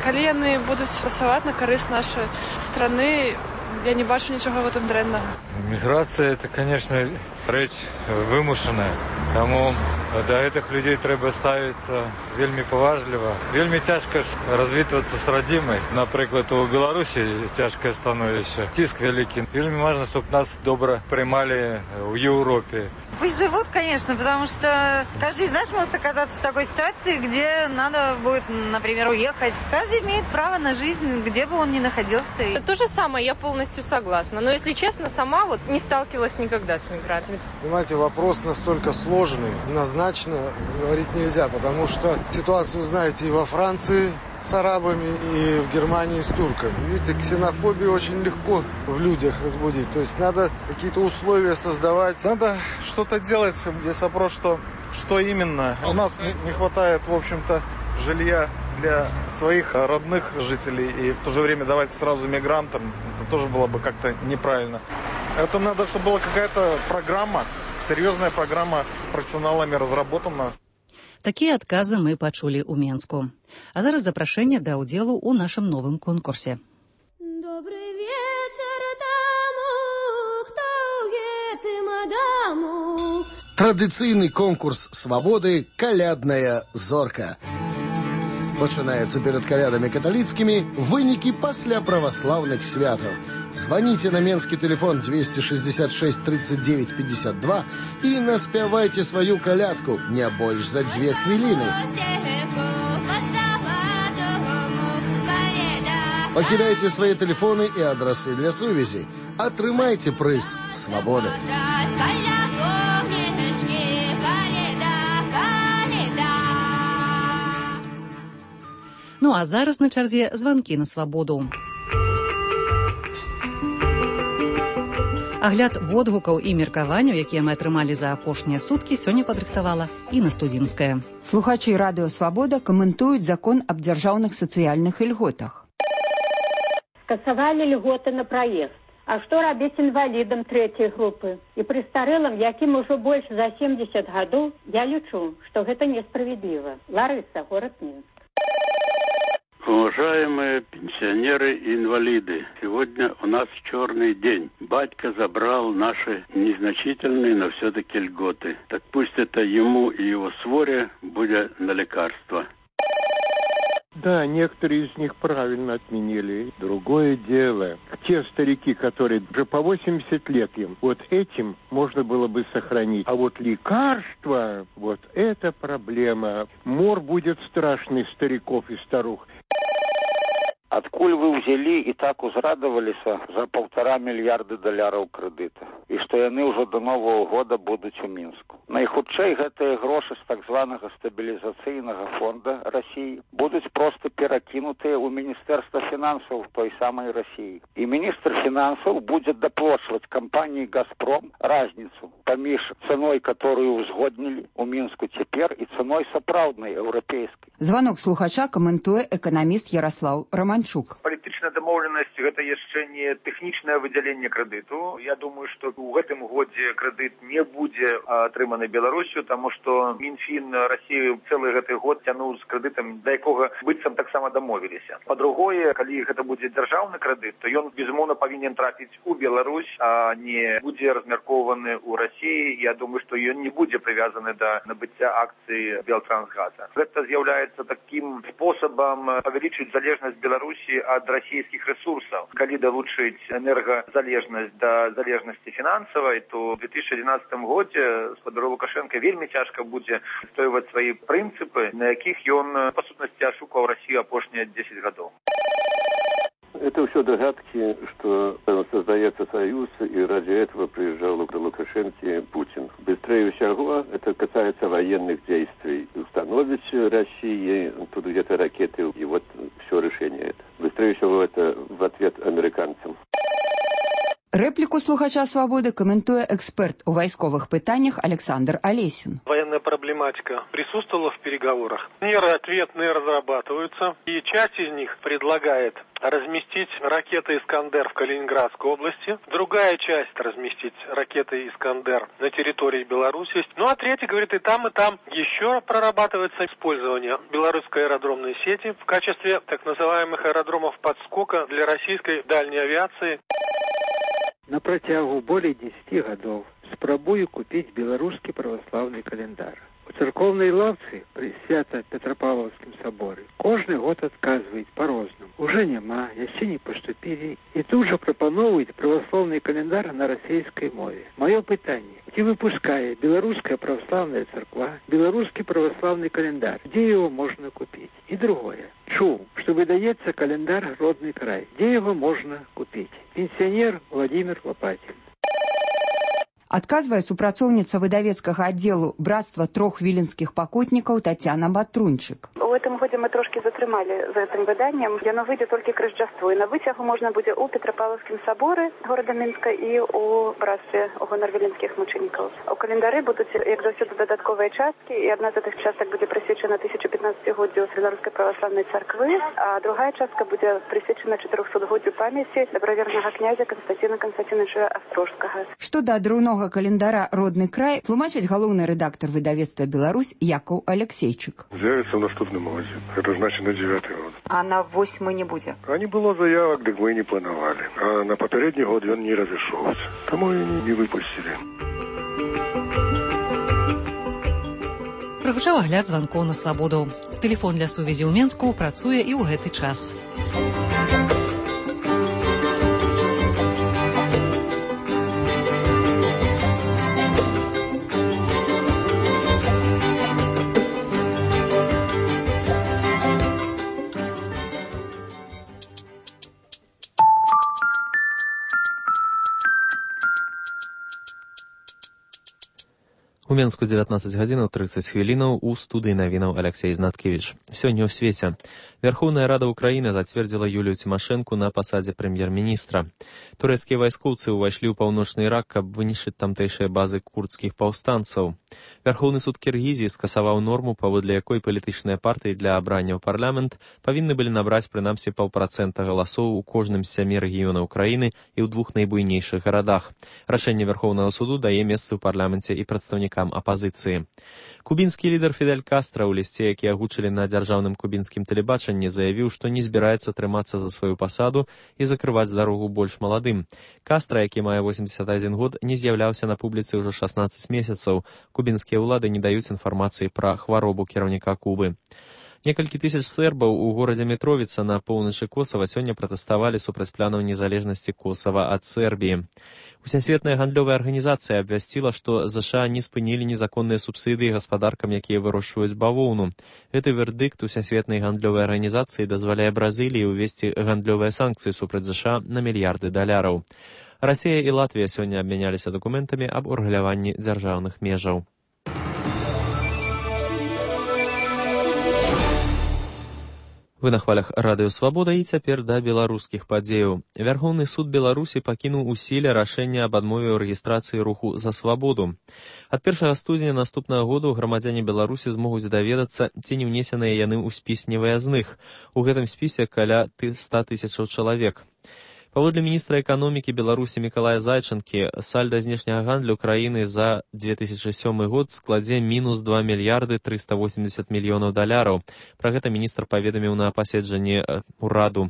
Калі яны будуць працаваць на карысць нашай страны, я не бачу нічога в этом дрэннага. Міграцыя – это, конечно, рэч вымушаная. Таму да гэтых людзей трэба ставіцца вельмі паважліва. Вельмі цяжка развітвацца з радзімай. Напрыклад, у Беларусі цяжкае становішча. Ціск вялікі. Вельмі важна, чтобы нас добра прымалі ў Европе. Пусть живут, конечно, потому что каждый из нас может оказаться в такой ситуации, где надо будет, например, уехать. Каждый имеет право на жизнь, где бы он ни находился. То же самое, я полностью согласна. Но, если честно, сама вот не сталкивалась никогда с мигрантами. Понимаете, вопрос настолько сложный, однозначно говорить нельзя, потому что ситуацию знаете и во Франции с арабами, и в Германии с турками. Видите, ксенофобию очень легко в людях разбудить. То есть надо какие-то условия создавать. Надо что-то делать. Здесь вопрос, что именно. У нас не хватает, в общем-то, жилья для своих родных жителей. И в то же время давать сразу мигрантам, это тоже было бы как-то неправильно. Это надо, чтобы была какая-то программа, серьезная программа профессионалами разработана. Такія адказы мы пачулі ў Менску. А зараз запрашэнне да ўдзелу ў нашым новым конкурсе. Добрый вечер тому, Традыцыйны конкурс свабоды «Калядная зорка». Пачынаецца перад калядамі каталіцкімі, вынікі пасля праваслаўных святаў. Звоните на менскі телефон 266 39 52 и наспявайте свою колядку не больше за 2 хвилины. Покидайте свои телефоны и адресы для сувязі. Атрымайте прыз свободы. Ну а зараз на чарзе званкі на свабоду. Агляд водгукаў і меркаванняў, якія мы атрымалі за апошнія суткі, сёння падрыхтавала Інна Студзінская. Слухачы радыё «Свабода» каментуюць закон аб дзяржаўных сацыяльных ільготах. Скасавалі льготы на праезд. А што рабіць інвалідам трэцяй групы? І прыстарэлым, якім ужо больш за 70 гадоў, я лічу, што гэта несправедліва. Ларыса, город Минск. Уважаемые пенсионеры и инвалиды, сегодня у нас черный день. Батька забрал наши незначительные, но все-таки льготы. Так пусть это ему и его своре будет на лекарство. Да, некоторые из них правильно отменили. Другое дело, те старики, которые уже по 80 лет им, вот этим можно было бы сохранить. А вот лекарства, вот это проблема. Мор будет страшный стариков и старух. Адкуль вы ўзялі і так узрадаваліся за $1,5 мільярда крэдыта, і што яны ўжо до Нового года будуць у Мінску. Найхутчэй гэтыя грошы з так званага стабілізацыйнага фонда Расіі будуць проста перакінутыя ў Міністэрства фінансаў той самай Расіі. І міністр фінансаў будзе даплочваць кампаніі «Газпром» разніцу паміж цаной, которую узгоднілі ў Мінску цяпер, і цаной сапраўднай еўрапейскай. Званок слухача каментуе эканаміст Ярослав Романчук. Палітычная дамоўленасць гэта яшчэ не тэхнічнае выдзяленне крэдыту. Я думаю, што ў гэтым годзе крэдыт не будзе атрыманы Беларусью, таму што Мінфін Расіі цэлы гэты год цянуў з крэдытам, да якога быццам таксама дамовіліся. Па-другое, калі гэта будзе дзяржаўны крэдыт, то ён безумоўна павінен трапіць у Беларусь, а не будзе размяркоўваны ў Расіі. Я думаю, што ён не будзе прывязаны да набыцця акцый Белтрансгаза. Гэта з'яўляецца такім спосабам павялічыць залежнасць Беларусі ад расійскіх ресурсаў. Калі далучыць энергазалежнасць да залежнасці фінансавай, то ў 2011 годзе спадару Лукашенка вельмі цяжка будзе адстойваць свае прынцыпы, на якіх ён па сутнасці ашукаў Расію апошнія 10 гадоў. Это все догадки, что создается союз, и ради этого приезжал к Лукашенко Путин. Быстрее всего это касается военных действий. Установить России тут где-то ракеты, и вот все решение это. Быстрее всего это в ответ американцам. Реплику слухача «Свободы» комментует эксперт у войсковых пытаниях Александр Олесин. Военная проблематика присутствовала в переговорах. Меры ответные разрабатываются, и часть из них предлагает разместить ракеты «Искандер» в Калининградской области, другая часть разместить ракеты «Искандер» на территории Беларуси. Ну а третья говорит, и там еще прорабатывается использование белорусской аэродромной сети в качестве так называемых аэродромов подскока для российской дальней авиации. На працягу болей 10 гадоў спрабую купіць беларускі праваслаўны календар. У царкоўнай лаўцы пры Свята-Петропавловскім саборы кожны год адказваюць па-рознаму. Уже няма, яшчэ не паступілі. І тут жа прапаноўваюць праваслаўны календар на расійскай мове. Маё пытанне, ці выпускае беларуская праваслаўная царква беларускі праваслаўны календар? Где его можно купить? И другое. Чуў, что выдаецца календар «Родный край». Где его можно купить? Пенсионер Владимир Лопатин. Адказвае супрацоўніца выдавецкага аддзелу «Братства трох віленскіх пакутнікаў» Тацяна Батрунчык. У этом году мы трошки затрымали за этим выданием. Яно выйдет только к Рождеству. И на вытягу можно будет у Петропавловском соборе города Минска и у братстве гонор віленских мучеников. У календари будут, як завжди, додатковые частки. И одна из этих часток будет присвячена 1015-годию Белорусской православной церкви, а другая частка будет присвячена 400-годию памяти доброверного князя Константина Константиновича Острожского. Что до друного календара «Родный край» тлумачыць галоўны рэдактор выдавецтва «Беларусь» Якаў Алексейчык. З'явіцца ў наступным годзе. Это значит на 9 год. А на 8 не будзе? А не было заявок, дык мы не планавалі. А на папярэдні год ён не разышоўся. Таму і не выпусцілі. прагучаў агляд званкоў на свабоду. Тэлефон для сувязі ў Менску працуе і ў гэты час. У Менску 19 гадзінаў 30 хвілінаў, у студыі навінаў Алексей Знаткевич. Сёння ў свеце. Верховная Рада Украіны зацвердзіла Юлію Цімашэнку на пасадзе прэм'ер-міністра. Турэцкія вайскоўцы ўвайшлі ў паўночны Ірак, каб вынішчыць тамтэйшыя базы курдскіх паўстанцаў. Верховны суд Кіргізіі скасаваў норму, паводле якой палітычныя партыі для абрання ў парламент павінны былі набраць прынамсі 0,5% галасоў у кожным з 7 рэгіёнаў краіны і ў 2 найбуйнейшых гарадах. Рашэнне Верховнага суду дае месцы ў парламенце і прадстаўнікам апазіцыі. Кубінскі лідар Фідель Кастра ў лісце, які агучылі на дзяржаўным кубінскім тэлебачанні, заявіў, што не збіраецца трымацца за сваю пасаду і закрываць дарогу больш маладым. Кастра, які мае 81 год, не з'яўляўся на публіцы ўжо 16 месяцаў. Кубінскія ўлады не даюць інфармацыі пра хваробу кіраўніка Кубы. Некалькі тысяч сербаў у горадзе Мітровіца на поўначы Косава сёння пратэставалі супраць планаў незалежнасці Косава ад Сербіі. Усесветная гандлёвая арганізацыя абвясціла, што ЗША не спынілі незаконныя субсідыі гаспадаркам, якія вырошчваюць бавоўну. Гэты вердыкт Усесветнай гандлёвай арганізацыі дазваляе Бразыліі ўвесці гандлёвыя санкцыі супраць ЗША на мільярды даляраў. Расія і Латвія сёння абмяняліся дакументамі аб урэгуляванні дзяржаўных межаў. Вы на хвалях Радыё Свабода і цяпер да беларускіх падзеяў. Вярхоўны суд Беларусі пакінуў у сіле рашэнне аб адмове ў рэгістрацыі руху «За свабоду». Ад 1 студзеня наступнага году грамадзяне Беларусі змогуць даведацца, ці не ўнесеныя яны ў спіс невыязных. У гэтым спісе каля 100 тысячаў чалавек. Паводле міністра эканомікі Беларусі Мікалая Зайчынкі, сальда знешняга гандлю краіны за 2007 год складзе мінус 2 мільярды 380 мільёнаў даляраў. Пра гэта міністр паведаміў на паседжанні ўраду.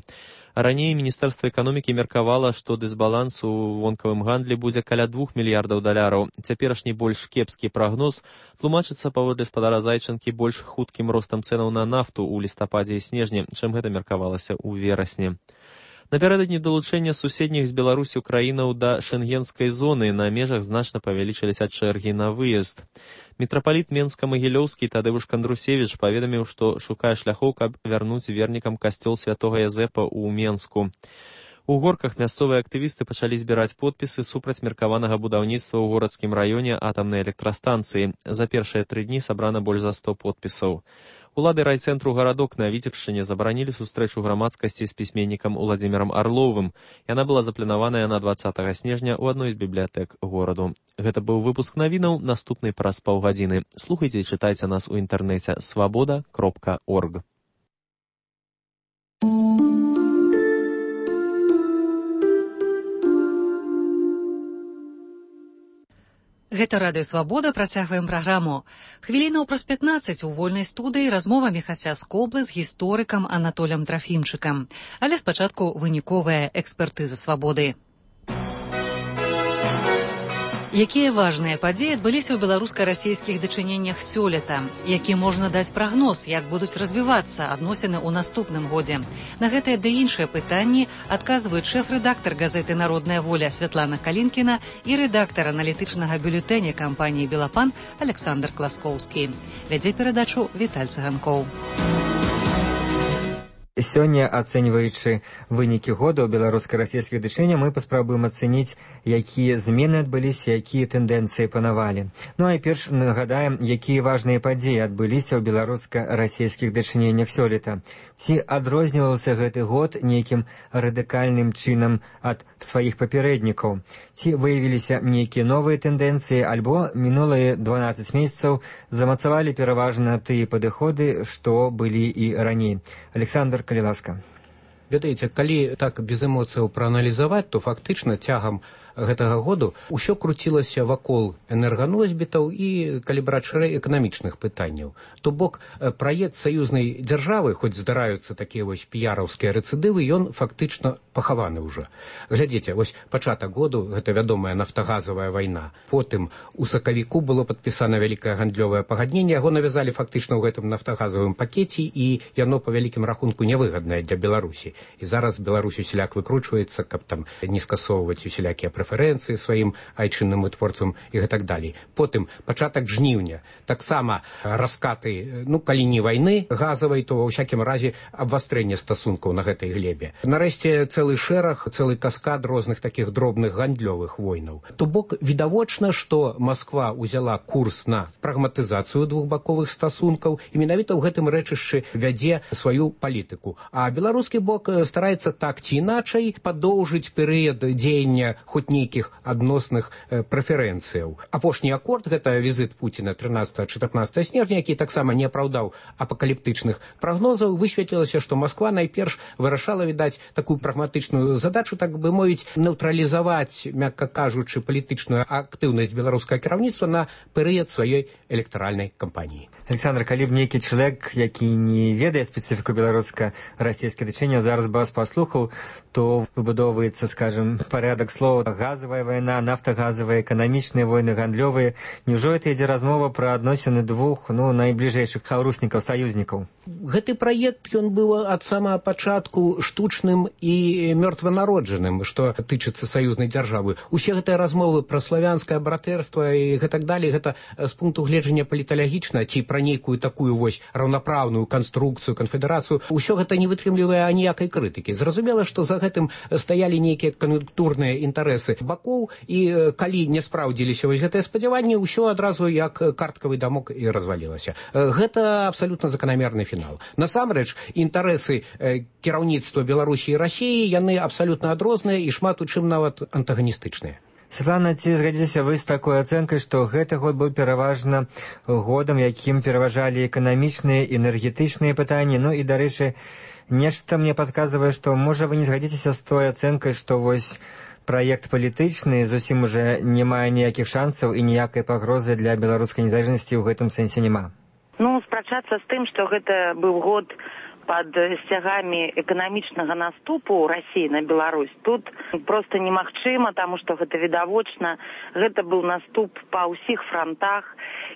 Раней Міністэрства эканомікі меркавала, што дысбаланс у вонкавым гандлі будзе каля 2 мільярдаў даляраў. Цяперашні больш кепскі прагноз тлумачыцца паводле спадара Зайчынкі больш хуткім ростам цэнаў на нафту ў лістападзе і снежні, чым гэта меркавалася ў верасні. Напярэдадні далучэння суседніх з Беларусю краінаў да шэнгенскай зоны на межах значна павялічыліся чэргі на выезд. Мітрапаліт Менска-Магілёўскі Тадеуш Кандрусевіч паведаміў, што шукае шляхоў, каб вярнуць вернікам касцёл святога Язэпа ў Менску. У горках мясцовыя актывісты пачалі збіраць подпісы супраць меркаванага будаўніцтва ў горадскім раёне атамнай электрастанцыі. За першыя 3 дні сабрана больш за 100 подпісаў. Улады райцэнтру гарадок на Віцебшчыне забаранілі сустрэчу грамадскасці з пісьменнікам Уладзімірам Арловым. Яна была запланаваная на 20 снежня ў адной з бібліятэк гораду. Гэта быў выпуск навінаў, наступны праз паўгадзіны. Слухайце і чытайце нас у інтэрнэце свабода.орг. Гэта Радыё Свабода, працягваем праграму. Хвілінаў праз 15 у вольнай студыі размова Міхася Скоблы з гісторыкам Анатолем Трафімчыкам. Але спачатку выніковая экспертыза свабоды. Якія важныя падзеі адбыліся ў беларуска-расійскіх дачыненнях сёлета? Які можна даць прагноз, як будуць развівацца адносіны ў наступным годзе? На гэтыя ды іншыя пытанні адказваюць шэф-рэдактар газеты «Народная воля» Святлана Калінкіна і рэдактар аналітычнага бюлетэня кампаніі «Белапан» Александр Класкоўскі. Вядзе перадачу Віталь Цыганкоў. Сёння, ацэньваючы вынікі года ў беларуска-расійскіх дачыненнях, мы паспрабуем ацэніць, якія змены адбыліся, якія тэндэнцыі панавалі. Ну а перш нагадаем, якія важныя падзеі адбыліся ў беларуска-расійскіх дачыненнях сёлета. Ці адрозніваўся гэты год нейкім радыкальным чынам ад сваіх папярэднікаў? Ці выявіліся нейкія новыя тэндэнцыі, альбо мінулыя 12 месяцаў замацавалі пераважна тыя падыходы, што былі і раней? Александр, калі ласка. Ведаеце, калі так без эмоцыяў прааналізаваць, то фактычна цягам гэтага году ўсё круцілася вакол энерганосьбітаў і, калі браць шырэй, эканамічных пытанняў. То бок, праект саюзнай дзяржавы, хоць здараюцца такія вось піяраўскія рэцыдывы, ён фактычна пахаваны ўжо. Глядзіце, вось пачатак году, гэта вядомая нафтагазавая вайна. Потым у сакавіку было падпісана вялікае гандлёвае пагадненне, яго навязалі фактычна ў гэтым нафтагазавым пакеце, і яно па вялікім рахунку невыгаднае для Беларусі. І зараз Беларусь усяляк выкручваецца, каб там не скасоўваць усялякія прэферэнцыі сваім айчынным вытворцам і гэтак далей. Потым пачатак жніўня. Таксама раскаты, калі не вайны газавай, то ва ўсякім разе абвастрэнне стасункаў на гэтай глебе. Нарэшце цэлы шэраг, цэлы каскад розных такіх дробных гандлёвых войнаў. То бок відавочна, што Масква ўзяла курс на прагматызацыю двухбаковых стасункаў і менавіта ў гэтым рэчышчы вядзе сваю палітыку. А беларускі бок стараецца так ці іначай падоўжыць перыяд дзеяння хоць нейкіх адносных прэферэнцыяў. Апошні акорд, гэта візіт Пуціна 13-14 снежня, які таксама не апраўдаў апакаліптычных прагнозаў, высветлілася, што Масква найперш вырашала, відаць, такую прагматычную задачу, так бы мовіць, нейтралізаваць, мякка кажучы, палітычную актыўнасць беларускага кіраўніцтва на перыяд сваёй электаральнай кампаніі. Александр, калі б нейкі чалавек, які не ведае спецыфіку беларуска-расійскіх дачынняў, зараз бы вас паслухаў, то выбудоўваецца, скажем, парядак слоў: газавая вайна, нафтагазавая, эканамічныя войны, гандлёвыя. Няўжо гэта ідзе размова пра адносіны двух найбліжэйшых хаўруснікаў, саюзнікаў? Гэты праект, ён быў ад самага пачатку штучным і мёртванароджаным, што тычыцца саюзнай дзяржавы. Усе гэтыя размовы пра славянскае братэрства і гэтак далей, гэта з пункту гледжання паліталагічна ці пра нейкую такую вось раўнапраўную канструкцыю, канфедэрацыю, усё гэта не вытрымлівае аніякай крытыкі. Зразумела, што за гэтым стаялі нейкія кан'юнктурныя інтарэсы бакоў, і калі не спраўдзіліся вось гэтыя спадзяванні, ўсё адразу як карткавы дамок і развалілася. Гэта абсалютна заканамерны фінал. Насамрэч, інтарэсы кіраўніцтва Беларусі і Расіі, яны абсалютна адрозныя і шмат у чым нават антаганістычныя. Святлана, ці згадзіцеся вы з такой ацэнкай, што гэты год быў пераважна годам, якім пераважалі эканамічныя, энергетычныя пытанні? І, дарэчы, нешта мне падказвае, што, можа, вы не згадзіцеся з той ацэнкай, што вось праект палітычны зусім уже не мае ніякіх шансаў і ніякай пагрозы для беларускай незалежнасці ў гэтым сэнсе няма? Спрачацца з тым, што гэта быў год пад сцягамі эканамічнага наступу Расіі на Беларусь, тут проста немагчыма, таму што гэта відавочна, гэта быў наступ па ўсіх франтах,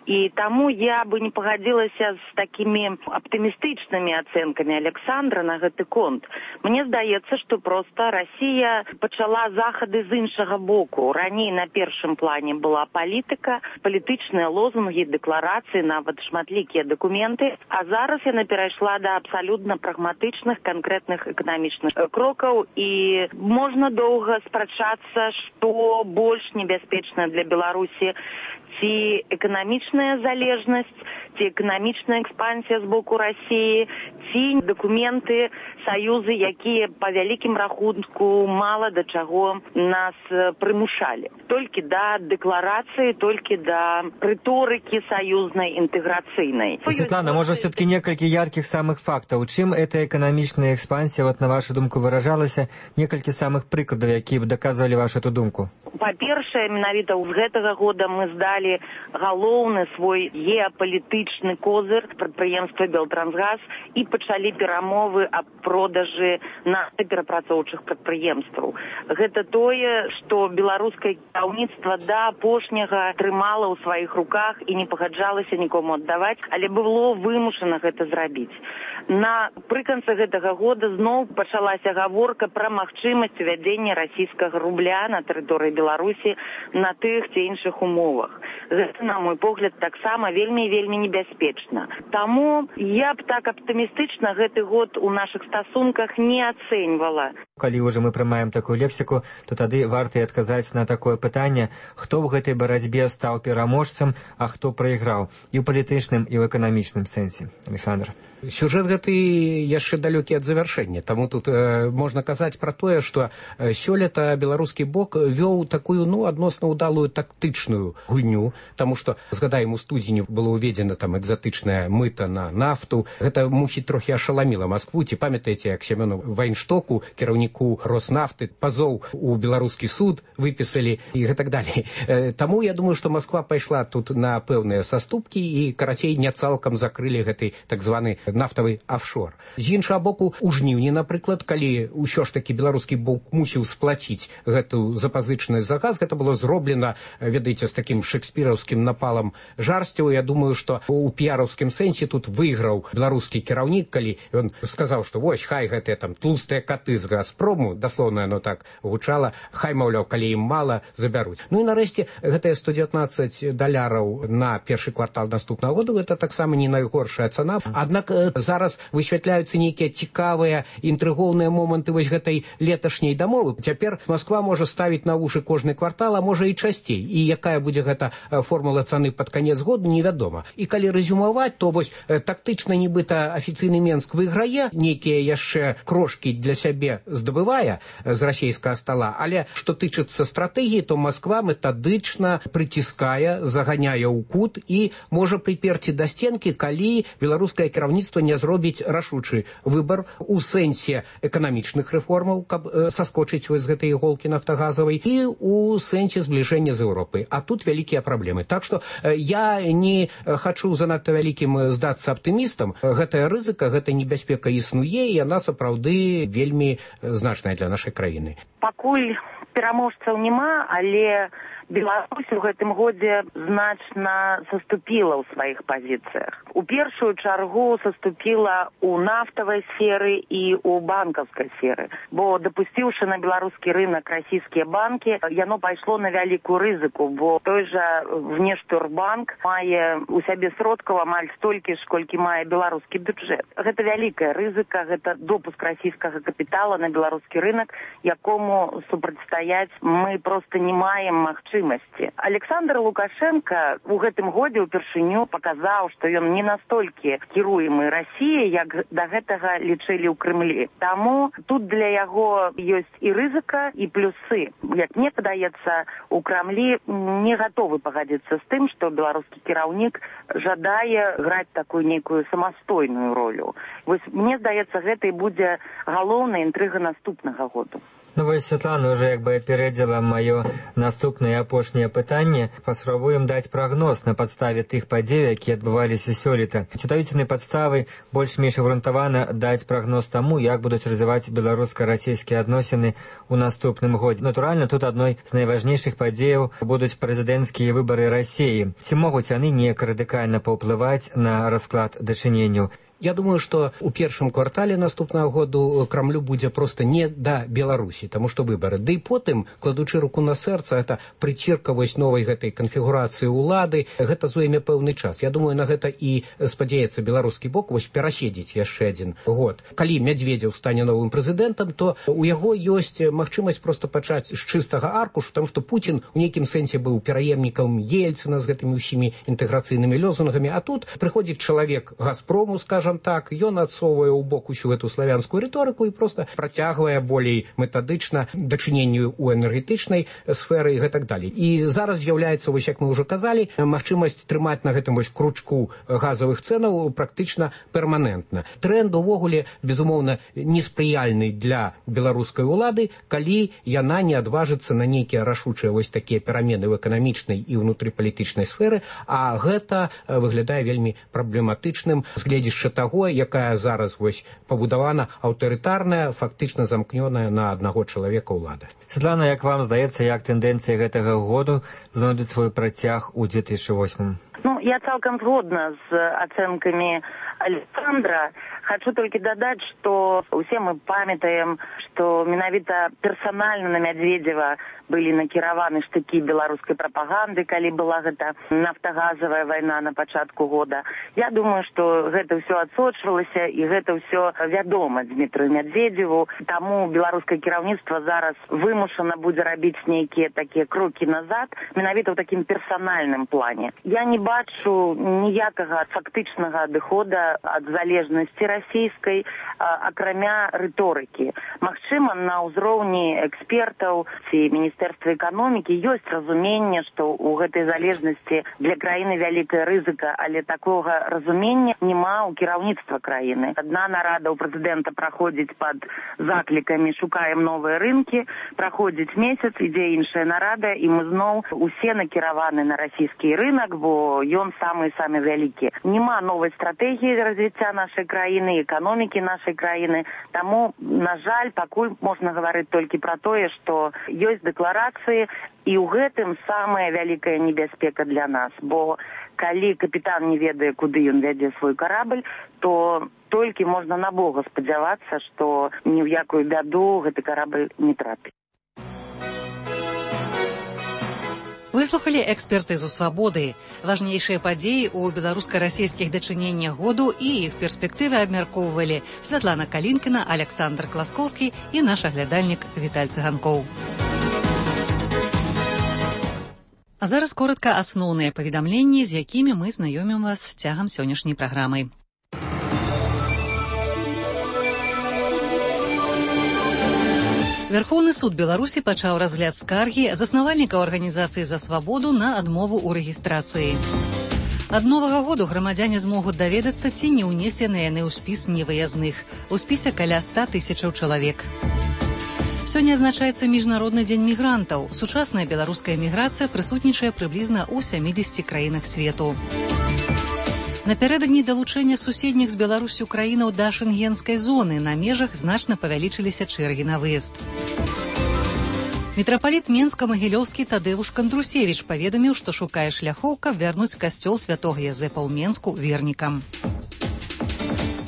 і таму я бы не пагадзілася з такімі аптымістычнымі ацэнкамі Александра на гэты конт. Мне здаецца, што проста Расія пачала захады з іншага боку. Раней на першым плане была палітыка, палітычныя лозунгі, дэкларацыі, нават шматлікія дакументы, а зараз яна перайшла да абсалютна прагматычных, канкрэтных эканамічных крокаў, і можна доўга спрачацца, што больш небяспечна для Беларусі: ці эканамічная залежнасць, ці эканамічная экспансія з боку Расіі, ці дакументы, саюзы, якія па вялікім рахунку мала да чаго нас прымушалі. Толькі да дэкларацыі, толькі да рыторыкі саюзнай інтэграцыйнай. Светлана, можа, все-таки некалькі яркіх самых фактаў. У чым эта эканамічная экспансія, на вашу думку, выражалася? Некалькі самых прыкладаў, якія б даказвалі вашу эту думку. Па-першае, менавіта з гэтага года мы здалі галоўны свой геапалітычны козыр прадпрыемства «Белтрансгаз» і пачалі перамовы аб продажы нафтаперапрацоўчых прадпрыемстваў. Гэта тое, што беларускае кіраўніцтва да апошняга трымала ў сваіх руках і не пагаджалася нікому аддаваць, але было вымушана гэта зрабіць. Напрыканцы гэтага года зноў пачалася гаворка пра магчымасць увядзення расійскага рубля на тэрыторыі Беларусі на тых ці іншых умовах. Гэта, на мой погляд, таксама вельмі і вельмі небяспечна. Таму я б так аптымістычна гэты год у нашых стасунках не ацэньвала. Калі ўжо мы прымаем такую лексіку, то тады варта і адказаць на такое пытанне: хто ў гэтай барацьбе стаў пераможцам, а хто прайграў і ў палітычным, і ў эканамічным сэнсе? Александр. Сюжэт гэты яшчэ далёкі ад завяршэння, таму тут можна казаць пра тое, што сёлета беларускі бок вёў такую адносна ўдалую тактычную гульню, таму што, згадаем, у студзені было ўведзена там экзатычная мыта на нафту. Гэта, мусіць, трохі ашаламіла Маскву. Ці памятаеце, як Семёну Вайнштоку, кіраўніку Роснафты, пазоў у беларускі суд выпісалі і гэтак далей. Таму я думаю, што Масква пайшла тут на пэўныя саступкі і, карацей, не цалкам закрылі гэты так званы нафтавы офшор. З іншага боку, у жніўні, напрыклад, калі ўсё ж такі беларускі бок мусіў сплаціць гэту запазычанасць за газ, гэта было зроблена, ведаеце, з такім шекспіраўскім напалам жарсцяў. Я думаю, што у піараўскім сэнсе тут выйграў беларускі кіраўнік, калі ён сказаў, што вось, хай гэтыя там тлустыя каты з Газпрому, даслоўна яно так гучала, хай, маўляў, калі ім мала, забяруць. Ну і нарэшце, гэтыя $119 на першы квартал наступнага году, гэта таксама не найгоршая цана. Аднак зараз высвятляюцца нейкія цікавыя, інтрыгоўныя моманты вось гэтай леташняй дамовы. Цяпер Масква можа ставіць на вушы кожны квартал, а можа і часцей. І якая будзе гэта формула цаны пад канец году, невядома. І калі рэзюмаваць, то вось тактычна нібыта афіцыйны Менск выйграе, нейкія яшчэ крошкі для сябе здабывае з расійскага стала, але што тычыцца стратэгіі, то Масква метадычна прыціскае, заганяе ў кут і можа прыперці да стенкі, калі беларускае кіраўніцтва не зробіць рашучы выбар у сэнсе эканамічных рэформаў, каб саскочыць з гэтай іголкі нафтагазавай, і у сэнсе збліжэння з Еўропай. А тут вялікія праблемы. Так што я не хачу занадта вялікім здацца аптымістам. Гэтая рызыка, гэтая небяспека існуе, і яна сапраўды вельмі значная для нашай краіны. Пакуль пераможцаў няма, але Беларусь у гэтым годзе значна саступіла ў сваіх пазіцыях. У першую чаргу саступіла ў нафтавай сферы і ў банкаўскай сферы, бо дапусціўшы на беларускі рынок расійскія банкі, яно пайшло на вялікую рызыку, бо той жа Внешторгбанк мае у сябе сродкаў амаль столькі ж, колькі мае беларускі бюджэт. Гэта вялікая рызыка, гэта допуск расійскага капітала на беларускі рынок, якому супрацьстаяць мы проста не маем магчымасці. Александр Лукашенко у гэтым годзе ўпершыню паказаў, што ён не настолькі кіруемы Расіяй, як да гэтага лічылі ў Крымлі. Таму тут для яго ёсць і рызыка, і плюсы. Як мне падаецца, у Крамлі не гатовы пагадзіцца з тым, што беларускі кіраўнік жадае граць такую нейкую самастойную ролю. Вось мне здаецца, гэта і будзе галоўная інтрыга наступнага году. Ну вось Святлана уже як бы апярэдзіла маё наступнае апошняе пытанне. Паспрабуем даць прагноз на падставе тых падзей, якія адбываліся сёлета. Ці даюць яны падставы больш-менш абгрунтавана даць прагноз таму, як будуць развіваць беларуска-расійскія адносіны ў наступным годзе. Натуральна, тут адной з найважнейшых падзеяў будуць прэзідэнцкія выбары Расіі. Ці могуць яны неяк радыкальна паўплываць на расклад дачыненняў? Я думаю, што ў першым квартале наступнага году Крамлю будзе проста не да Беларусі, таму што выбары. Ды і потым, кладучы руку на сэрца, гэта прыцірка вось новай гэтай канфігурацыі ўлады, гэта зойме пэўны час. Я думаю, на гэта і спадзяецца беларускі бок вось пераседзець яшчэ адзін год. Калі Мядзведзеў стане новым прэзідэнтам, то у яго ёсць магчымасць проста пачаць з чыстага аркушу, таму што Пуцін у нейкім сэнсе быў пераемнікам Ельцына з гэтымі ўсімі інтэграцыйнымі лозунгамі, а тут прыходзіць чалавек Газпрому, скажам так, ён адсоўвае ў бок усю гэту славянскую рыторыку і проста працягвае болей метадычна дачыненню ў энергетычнай сферы і гэтак далей. І зараз з'яўляецца, вось як мы ўжо казалі, магчымасць трымаць на гэтым вось кручку газавых цэнаў практычна перманентна. Тренд увогуле, безумоўна, неспрыяльны для беларускай улады, калі яна не адважыцца на нейкія рашучыя вось такія перамены в эканамічнай і ўнутрыпалітычнай сферы, а гэта выглядае вельмі праблематычным з гледзяшча таго, якая зараз вось пабудавана аўтарытарная, фактычна замкнёная на аднаго чалавека ўлада. Святлана, як вам здаецца, як тэндэнцыі гэтага году знойдуць свой працяг у 2008? Ну, я цалкам згодна з ацэнкамі Александра, Хочу толькі дадаць, што ўсе мы памятаем, што менавіта персанальна на Мядзведзева былі накіраваны штыкі беларускай прапаганды, калі была гэта нафтагазавая вайна на пачатку года. Я думаю, што гэта ўсё адсочвалася і гэта ўсё вядома Дмітрию Мядзведзеву. Таму беларускае кіраўніцтва зараз вымушана будзе рабіць нейкія такія крокі назад, менавіта ў такім персанальным плане. Я не бачу ніякага фактычнага адыхода ад залежнасці расійскай, акрамя рыторыкі. Магчыма, на ўзроўні экспертаў ці Міністэрства эканомікі ёсць разуменне, што ў гэтай залежнасці для краіны вялікая рызыка, але такога разумення няма ў кіраўніцтва краіны. Адна нарада ў прэзідэнта праходзіць пад заклікамі «Шукаем новыя рынкі», праходзіць месяц, ідзе іншая нарада, і мы зноў усе накіраваны на расійскі рынок, бо ён самы вялікі. Няма новай стратэгіі развіцця нашай краіны, эканомікі нашай краіны. Таму, на жаль, пакуль можна гаварыць толькі пра тое, што ёсць дэкларацыі, і ў гэтым самая вялікая небяспека для нас. Бо калі капітан не ведае, куды ён вядзе свой карабль, то толькі можна на Бога спадзявацца, што ні ў якую бяду гэты карабль не трапіць. Выслухалі экспертызу «Свабоды». Важнейшыя падзеі ў беларуска-расійскіх дачыненнях году і іх перспектывы абмяркоўвалі Святлана Калінкіна, Александр Класкоўскі і наш аглядальнік Віталь Цыганкоў. А зараз коротка асноўныя паведамленні, з якімі мы знаёмім вас цягам сённяшняй праграмы. Верховны суд Беларусі пачаў разгляд скаргі заснавальнікаў арганізацыі «За свабоду» на адмову ў рэгістрацыі. Ад новага году грамадзяне змогуць даведацца, ці не ўнесены яны ў спіс невыязных. У спісе каля 100 000 чалавек. Сёння адзначаецца Міжнародны дзень мігрантаў. Сучасная беларуская міграцыя прысутнічае прыблізна ў 70 краінах свету. Напярэдадні далучэння суседніх з Беларусю краінаў да шэнгенскай зоны на межах значна павялічыліся чэргі на выезд. Мітрапаліт Менска-Магілёўскі Тадэвуш Кандрусевіч паведаміў, што шукае шляхоў, каб вярнуць касцёл святога Язэпа ў Менску вернікам.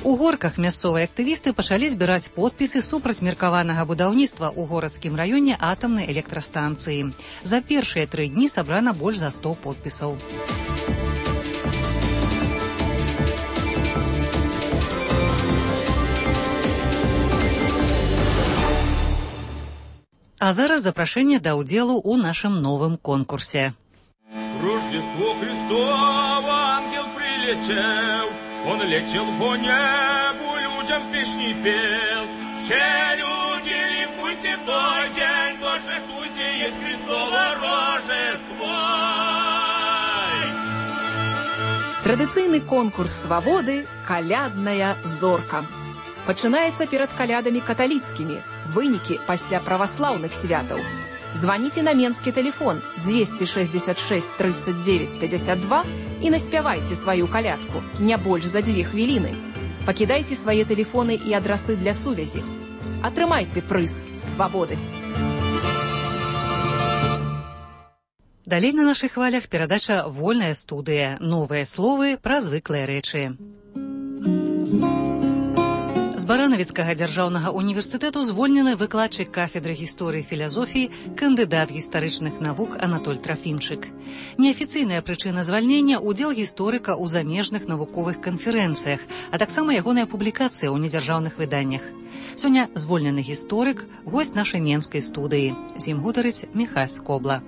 У Горках мясцовыя актывісты пачалі збіраць подпісы супраць меркаванага будаўніцтва ў горадскім раёне атамнай электрастанцыі. За першыя 3 дні сабрана больш за 100 подпісаў. А зараз запрашэнне да ўдзелу ў нашым новым конкурсе. Рождество Христово ангел прилетел, он летел по небу, людям песни пел. Все люди ликуйте той день, торжествуйте, есть Христово Рождество. Традыцыйны конкурс «Свабоды» «Калядная зорка». Пачынаецца перад калядамі каталіцкімі, вынікі пасля праваслаўных святаў. Званіце на менскі тэлефон 266 39 52 і наспявайце сваю калядку, не больш за 2 хвіліны. Пакідайце свае тэлефоны і адрасы для сувязі. Атрымайце прыз «Свабоды». Далей на нашых хвалях перадача «Вольная студыя». Новыя словы пра звыклыя рэчы. З Баранавіцкага дзяржаўнага універсітэту звольнены выкладчык кафедры гісторыі і філазофіі, кандыдат гістарычных навук Анатоль Трафімчык. Неафіцыйная прычына звальнення – удзел гісторыка ў замежных навуковых канферэнцыях, а таксама ягоная публікацыя ў недзяржаўных выданнях. Сёння звольнены гісторык, госць нашай менскай студыі. З ім гутарыць Міхась Скобла.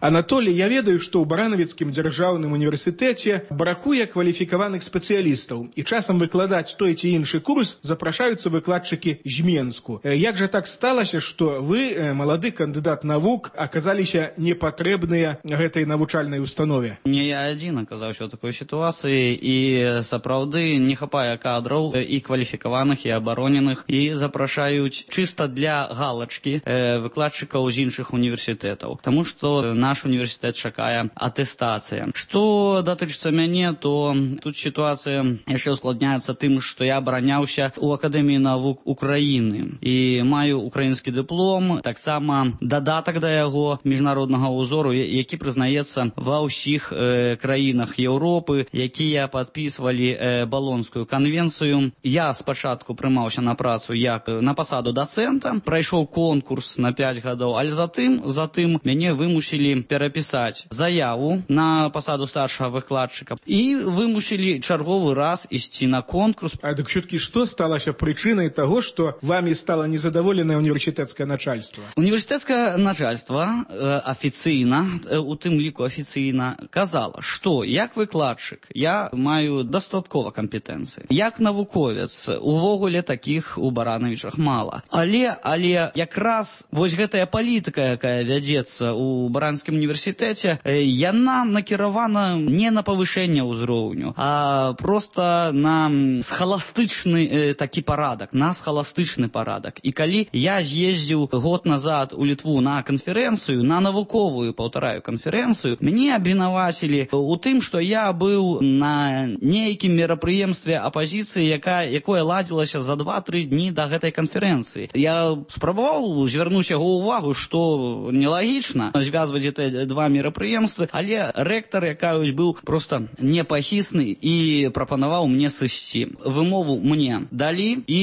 Анатолий, я ведаю, што ў Баранавіцкім дзяржаўным універсітэце бракуе кваліфікаваных спецыялістаў, і часам выкладаць той ці іншы курс запрашаюцца выкладчыкі з Менску. Як жа так сталася, што вы, малады кандыдат навук, аказаліся непатрэбныя гэтай навучальнай установе? Не я адзін аказаўся ў такой сітуацыі, і сапраўды не хапае кадраў і кваліфікаваных, і абароненых, і запрашаюць чыста для галачкі выкладчыкаў з іншых універсітэтаў. Таму што на наш універсітэт чакае атэстацыя. Што датычыцца мяне, то тут сітуацыя яшчэ ускладняецца тым, што я абараняўся ў Акадэміі навук Украіны і маю украінскі дыплом, таксама дадатак да яго міжнароднага ўзору, які прызнаецца ва ўсіх краінах Еўропы, якія падпісвалі Балонскую канвенцыю. Я спачатку прымаўся на працу як на пасаду дацэнта, прайшоў конкурс на 5 гадоў, але затым мяне вымусілі перапісаць заяву на пасаду старшага выкладчыка і вымусілі чарговы раз ісці на конкурс. А дык все-таки што сталася прычынай таго, што вамі стала незадаволенае універсітэцкае начальство? Універсітэцкае начальство афіцыйна, у тым ліку афіцыйна, казала, што як выкладчык я маю дастаткова кампетэнцыі. Як навуковец увогуле такіх у Баранавічах мала. Але якраз вось гэтая палітыка, якая вядзецца ў Баранскім універсітэце, яна накіравана не на павышэнне ўзроўню, а проста на схаластычны такі парадак, на схаластычны парадак. І калі я з'ездзіў год назад у Літву на канферэнцыю, на навуковую, паўтараю, канферэнцыю, мяне абвінавацілі у тым, што я быў на нейкім мерапрыемстве апазіцыі, якое ладзілася за 2-3 дні да гэтай канферэнцыі. Я спрабаваў звярнуць яго ўвагу, што нелагічна звязваць гэтыя два мерапрыемствы, але рэктар, якаюсь, быў проста непахісны і прапанаваў мне сысці. Вымову мне далі, і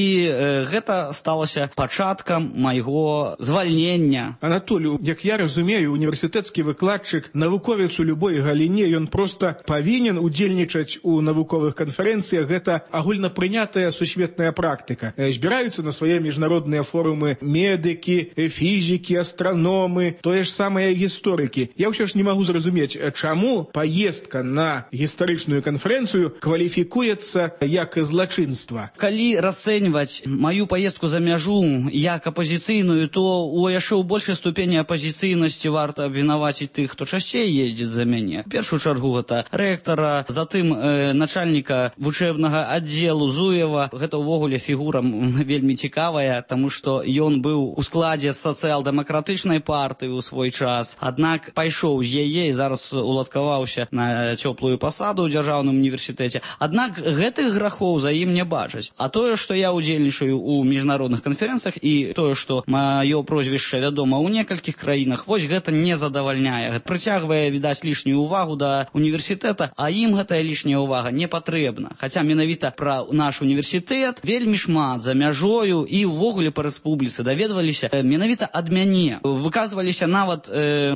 гэта сталася пачаткам майго звальнення. Анатолію, як я разумею, універсітэцкі выкладчык, навуковец у любой галіне, ён проста павінен удзельнічаць у навуковых канферэнцыях. Гэта агульнапрынятая сусветная практыка. Збіраюцца на свае міжнародныя форумы медыкі, фізікі, астраномы, тое ж самыя гісторыкі. Я ўсё ж не магу зразумець, чаму паездка на гістарычную канферэнцыю кваліфікуецца як злачынства. Калі расцэньваць маю паездку за мяжу як апазіцыйную, то у яшчэ ў большай ступені апазіцыйнасці варта абвінаваціць тых, хто часцей ездзіць за мяне. В першую чаргу гэта рэктара, затым начальніка вучэбнага аддзелу Зуева. Гэта ўвогуле фігура вельмі цікавая, таму што ён быў у складзе сацыял-дэмакратычнай партыі ў свой час, аднак пайшоў з яе і зараз уладкаваўся на цёплую пасаду ў дзяржаўным універсітэце. Аднак гэтых грахоў за ім не бачаць. А тое, што я удзельнічаю ў міжнародных канферэнцыях і тое, што маё прозвішча вядома ў некалькіх краінах, вось гэта не задавальняе. Прыцягвае, відаць, лішнюю ўвагу да універсітэта, а ім гэтая лішняя ўвага не патрэбна. Хаця менавіта пра наш універсітэт вельмі шмат за мяжою і ўвогуле па рэспубліцы даведваліся менавіта ад мяне. Выказваліся нават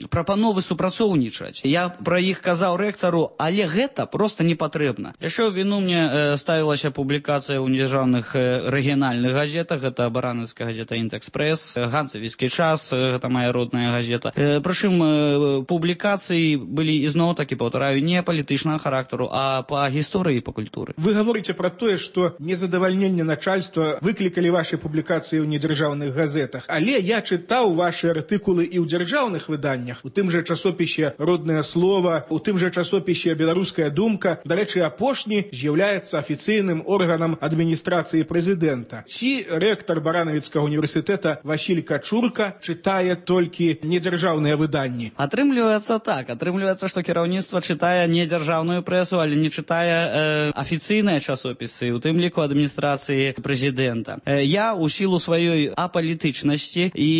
прапановы супрацоўнічаць. Я пра іх казаў рэктару, але гэта проста не патрэбна. Яшчэ ў віну мне ставілася публікацыя ў дзяржаўных рэгіянальных газетах. Гэта баранаўская газета «Інтэкспрэс», «Ганцавіцкі час», гэта моя родная газета. Прычым публікацыі былі ізноў такі, паўтараю, не палітычнага характару, а па гісторыі і па культуры. Вы гаворыце пра тое, што незадавальненне начальства выклікалі вашы публікацыі ў недзяржаўных газетах. Але я чытаў вашы артыкулы і ў дзяржаўных выданнях, у тым жа часопісе «Роднае слова», у тым жа часопісе «Беларуская думка». Дарэчы, апошні з'яўляецца афіцыйным органам адміністрацыі прэзідэнта. Ці рэктар Баранавіцкага універсітэта Васіль Качурка чытае толькі недзяржаўныя выданні? Атрымліваецца так. Атрымліваецца, што кіраўніцтва чытае не дзяржаўную прэсу, але не чытае афіцыйныя часопісы, у тым ліку адміністрацыі прэзідэнта. Я у сілу сваёй апалітычнасці і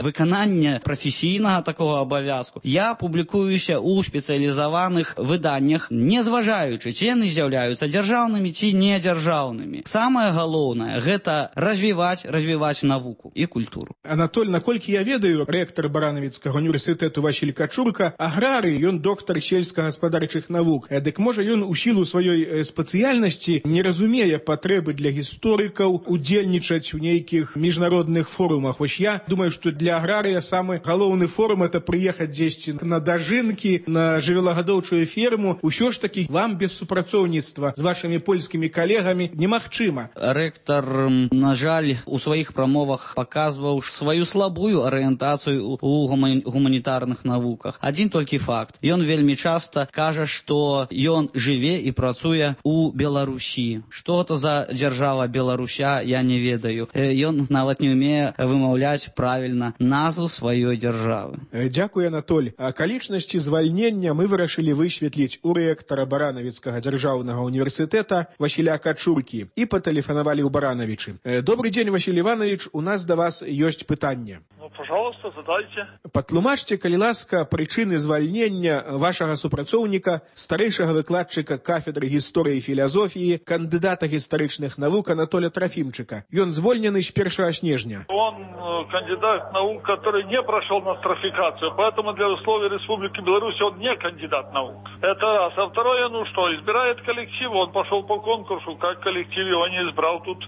выканання прафесійнага такога абавязку, я публікуюся ў спецыялізаваных выданнях, не зважаючы, ці яны з'яўляюцца дзяржаўнымі ці не дзяржаўнымі. Самае галоўнае гэта развіваць навуку і культуру. Анатоль, наколькі я ведаю, рэктар Баранавіцкага універсітэту Васіль Качурка аграрый, ён доктар сельскагаспадарчых навук. Дык можа ён у сілу сваёй спецыяльнасці не разумее патрэбы для гісторыкаў удзельнічаць у нейкіх міжнародных форумах. Вось я думаю, што для аграрыя самы галоўны форум это прыехаць дзесьці на дажынкі, на жывёлагадоўчую ферму. Усё ж такі вам без супрацоўніцтва з вашымі польскімі калегамі немагчыма. Рэктар, на жаль, у сваіх прамовах паказваў сваю слабую арыентацыю ў гуманітарных навуках. Адзін толькі факт. Ён вельмі часта кажа, што ён жыве і працуе ў Беларусі. Што то за дзяржава Беларуся, я не ведаю. Ён нават не ўмее вымаўляць правільна назву сваёй дзяржавы. Дзякую, Анатоль, акалічнасці звальнення мы вырашылі высветліць у рэктара Баранавіцкага дзяржаўнага універсітэта Васіля Качуркі і патэлефанавалі ў Баранавічы. Добрый дзень, Васіль Іванович, у нас да вас ёсць пытанне. Пожалуйста, задайте. Патлумачце, калі ласка, прычыны звальнення вашага супрацоўніка, старэйшага выкладчыка кафедры гісторыі і філазофіі, кандыдата гістарычных навук Анатоля Трофимчика. Ён звольнены з 1 снежня. Он кандидат наук, который не прошел нострификацию, поэтому для условий Республики Беларусь он не кандидат наук. Это раз. А второе, избирает коллектив, он пошел по конкурсу, как коллектив его не избрал, тут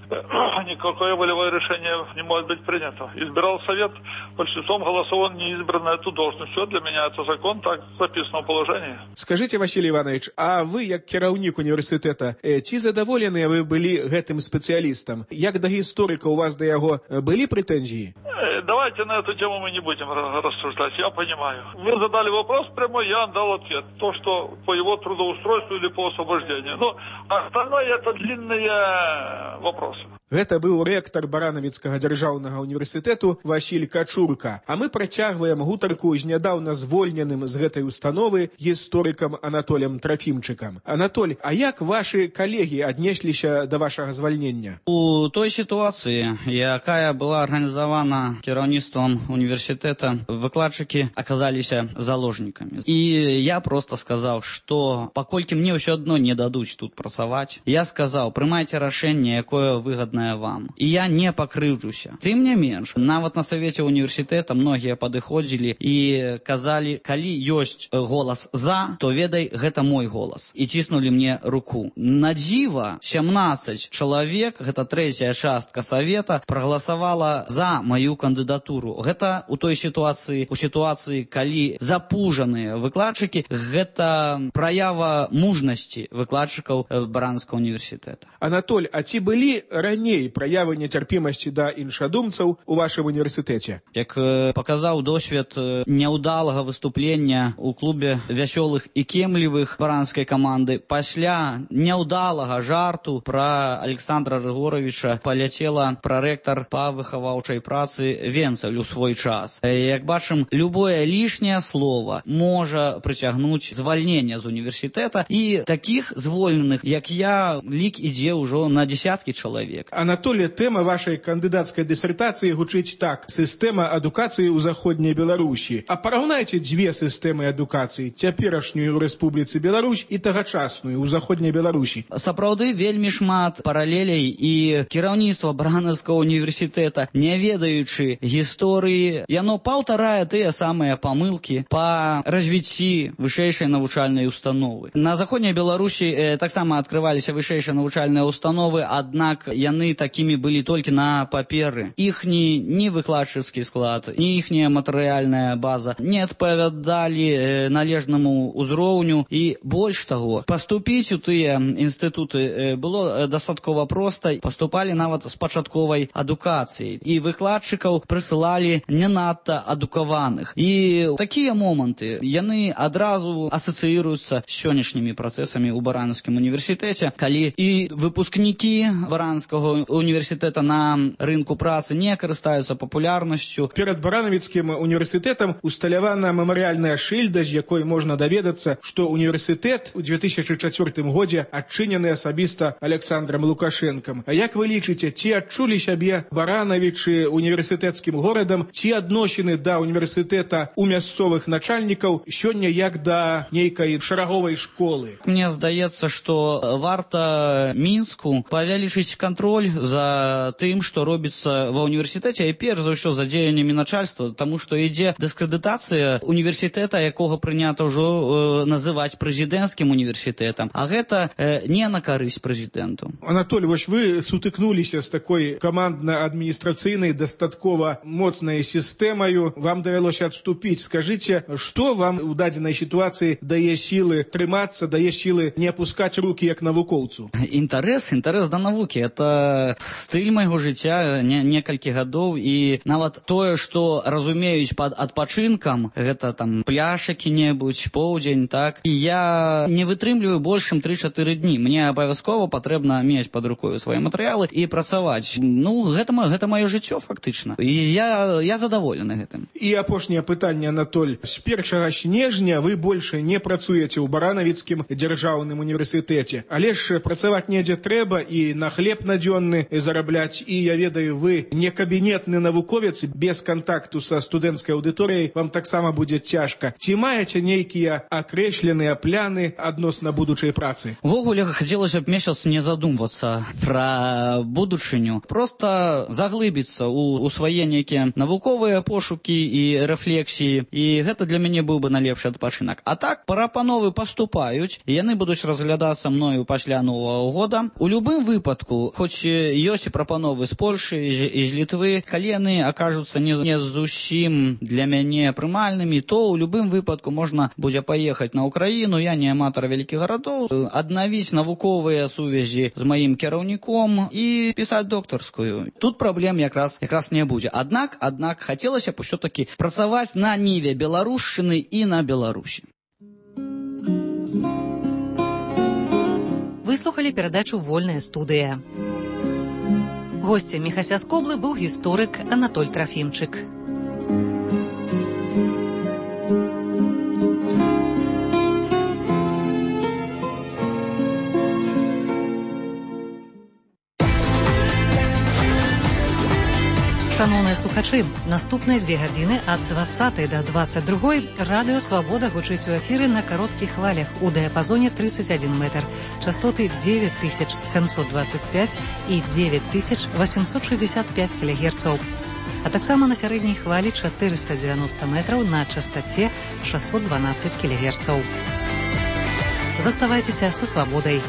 никакое волевое решение не может быть принято. Избирал совет, большинством голосов он не избран на эту должность. Все, для меня это закон, так записано в положении. Скажите, Василий Иванович, а вы, як кіраўнік універсітэта, ці задаволеныя вы былі гэтым спецыялістам? Як да гісторыка у вас да яго былі прэтэнзіі? Давайте на эту тему мы не будем рассуждать, я понимаю. Вы задали вопрос прямой, я дал ответ. То, что по его трудоустройству или по освобождению. Но остальное это длинные вопросы. Гэта быў рэктар Баранавіцкага дзяржаўнага універсітэту Васіль Качурка. А мы працягваем гутарку з нядаўна звольненым з гэтай установы гісторыкам Анатолем Трофимчикам. Анатоль, а як ваши калегі аднесліся да вашага звальнення? У той ситуации, якая была организована кіраўніцтвом университета, выкладчики оказались заложниками. И я просто сказал, что покольки мне все одно не дадут тут працаваць, я сказал, прымайце рашэнне, якое выгодное вам. И я не покрыўджуся. Тым не менш, нават на совете университета многие падыходзілі и казали, калі ёсць голос за, то ведай, гэта мой голос. И ціснули мне руку. На дзіва 17 человек, гэта трэцяя частка совета, проголосовала за мою кандидатуру. Гэта у той ситуации, у ситуации, калі запужаныя выкладчыкі, гэта праява мужнасці выкладчыкаў Баранскага университета. Анатоль, а ці былі раней праявы нецярпімасці да іншадумцаў у вашым універсітэце? Як паказаў досвед няўдалага выступлення ў клубе вясёлых і кемлівых баранскай каманды, пасля няўдалага жарту пра Александра Рыгоровича паляцела прарэктар па выхаваўчай працы Венцаль у свой час. Як бачым, любое лішняе слово можа прыцягнуць звальнення з універсітэта, і такіх звольненых, як я, лік ідзе ўжо на десяткі чалавек. Анатолий, тэма вашей кандыдацкай дысертацыі гучыць так: сістэма адукацыі ў заходняй Беларусі. А параўнайце дзве сістэмы адукацыі, цяперашнюю ў Рэспубліцы Беларусь і тагачасную ў заходняй Беларусі. Сапраўды вельмі шмат паралелей, і кіраўніцтва Баранаўскага універсітэта, не ведаючы гісторыі, яно паўтарае тыя самыя памылкі па развіцці вышэйшай навучальнай установы. На заходняй Беларусі таксама адкрываліся вышэйшыя навучальныя установы, аднак яны такими были только на паперы. Ихний ни выкладчыцкі склад, ни ихняя матэрыяльная база не адпавядалі належнаму ўзроўню, і больш таго, паступіць у тыя інстытуты было дастаткова проста, паступалі нават з пачатковай адукацыяй, і выкладчыкаў прысылалі не надта адукаваных. І такія моманты яны адразу асацыіруюцца з сённяшнімі працэсамі ў Баранаўскім універсітэце, калі і выпускнікі Баранского университета на рынку працы не карыстаюцца папулярнасцю. Перад Баранавіцкім універсітэтам усталявана мемарыяльная шыльда, з якой можна даведацца, што універсітэт у 2004 годзе адчынены асабіста Александром Лукашенком. А як вы лічыце, ці адчулі сябе Баранавічы універсітэцкім горадам, ці адносіны да універсітэта у мясцовых начальнікаў сёння як да нейкай шараговай школы? Мне здаецца, што варта Мінску павялічыць контроль за тым, што робіцца ва універсітэце, і перш за ўсё за дзеяннямі начальства, таму што ідзе дыскрэдытацыя універсітэта, якога прынята ўжо называць прэзідэнцкім універсітэтам, а гэта не на карысць прэзідэнту. Анатоль, вось вы сутыкнуліся з такой камандна-адміністрацыйнай дастаткова моцнай сістэмаю, вам давялося адступіць. Скажыце, што вам у дадзенай сітуацыі дае сілы трымацца, дае сілы не апускаць рукі як навукоўцу? Інтарэс да навукі, это стыль майго жыцця некалькі гадоў, і нават тое, што разумеюць пад адпачынкам, гэта там пляж які-небудзь, поўдзень, так, і я не вытрымліваю больш чым 3-4 дні. Мне абавязкова патрэбна мець пад рукою свае матэрыялы і працаваць. Ну, гэта маё жыццё, фактычна. І І я задаволены гэтым. І апошняе пытанне, Анатоль. З 1 снежня вы больше не працуеце ў Баранавіцкім дзяржаўным універсітэце. Але ж працаваць недзе трэба і на хлеб надзённы зарабляць. І я ведаю, вы не кабінетны навуковец, без кантакту са студэнцкай аўдыторыяй вам таксама будзе цяжка. Ці маеце нейкія акрэсленыя пляны адносна будучай працы? Увогуле, хацелася б месяц не задумвацца пра будучыню. Просто заглыбіцца ў свае нейкія навуковыя пошукі і рэфлексіі. І гэта для мяне быў бы найлепшы адпачынак. А так, прапановы паступаюць, і яны будуць разглядацца мною пасля Новага года. У любым выпадку, хоць ёсць і прапановы з Польшы і з Літвы, калі яны акажуцца не зусім для мяне прымальнымі, то ў любым выпадку можна будзе паехаць на Украіну, я не аматар вялікіх гарадоў, аднавіць навуковыя сувязі з маім кіраўніком і пісаць доктарскую. Тут праблем якраз не будзе. Аднак хацелася б усё-такі працаваць на ніве беларушчыны і на Беларусі. Выслухалі перадачу «Вольная студыя». Госцем Міхася з Коблы быў гісторык Анатоль Трафімчык. Шановныя слухачы, наступныя 2 гадзіны ад 20 до 22 радыё «Свабода» гучыць у эфіры на кароткіх хвалях у дыяпазоне 31 метр, частоты 9725 і 9865 кГц, а таксама на сярэдняй хвалі 490 метраў на частоце 612 кГц. Заставайцеся са «Свабодай».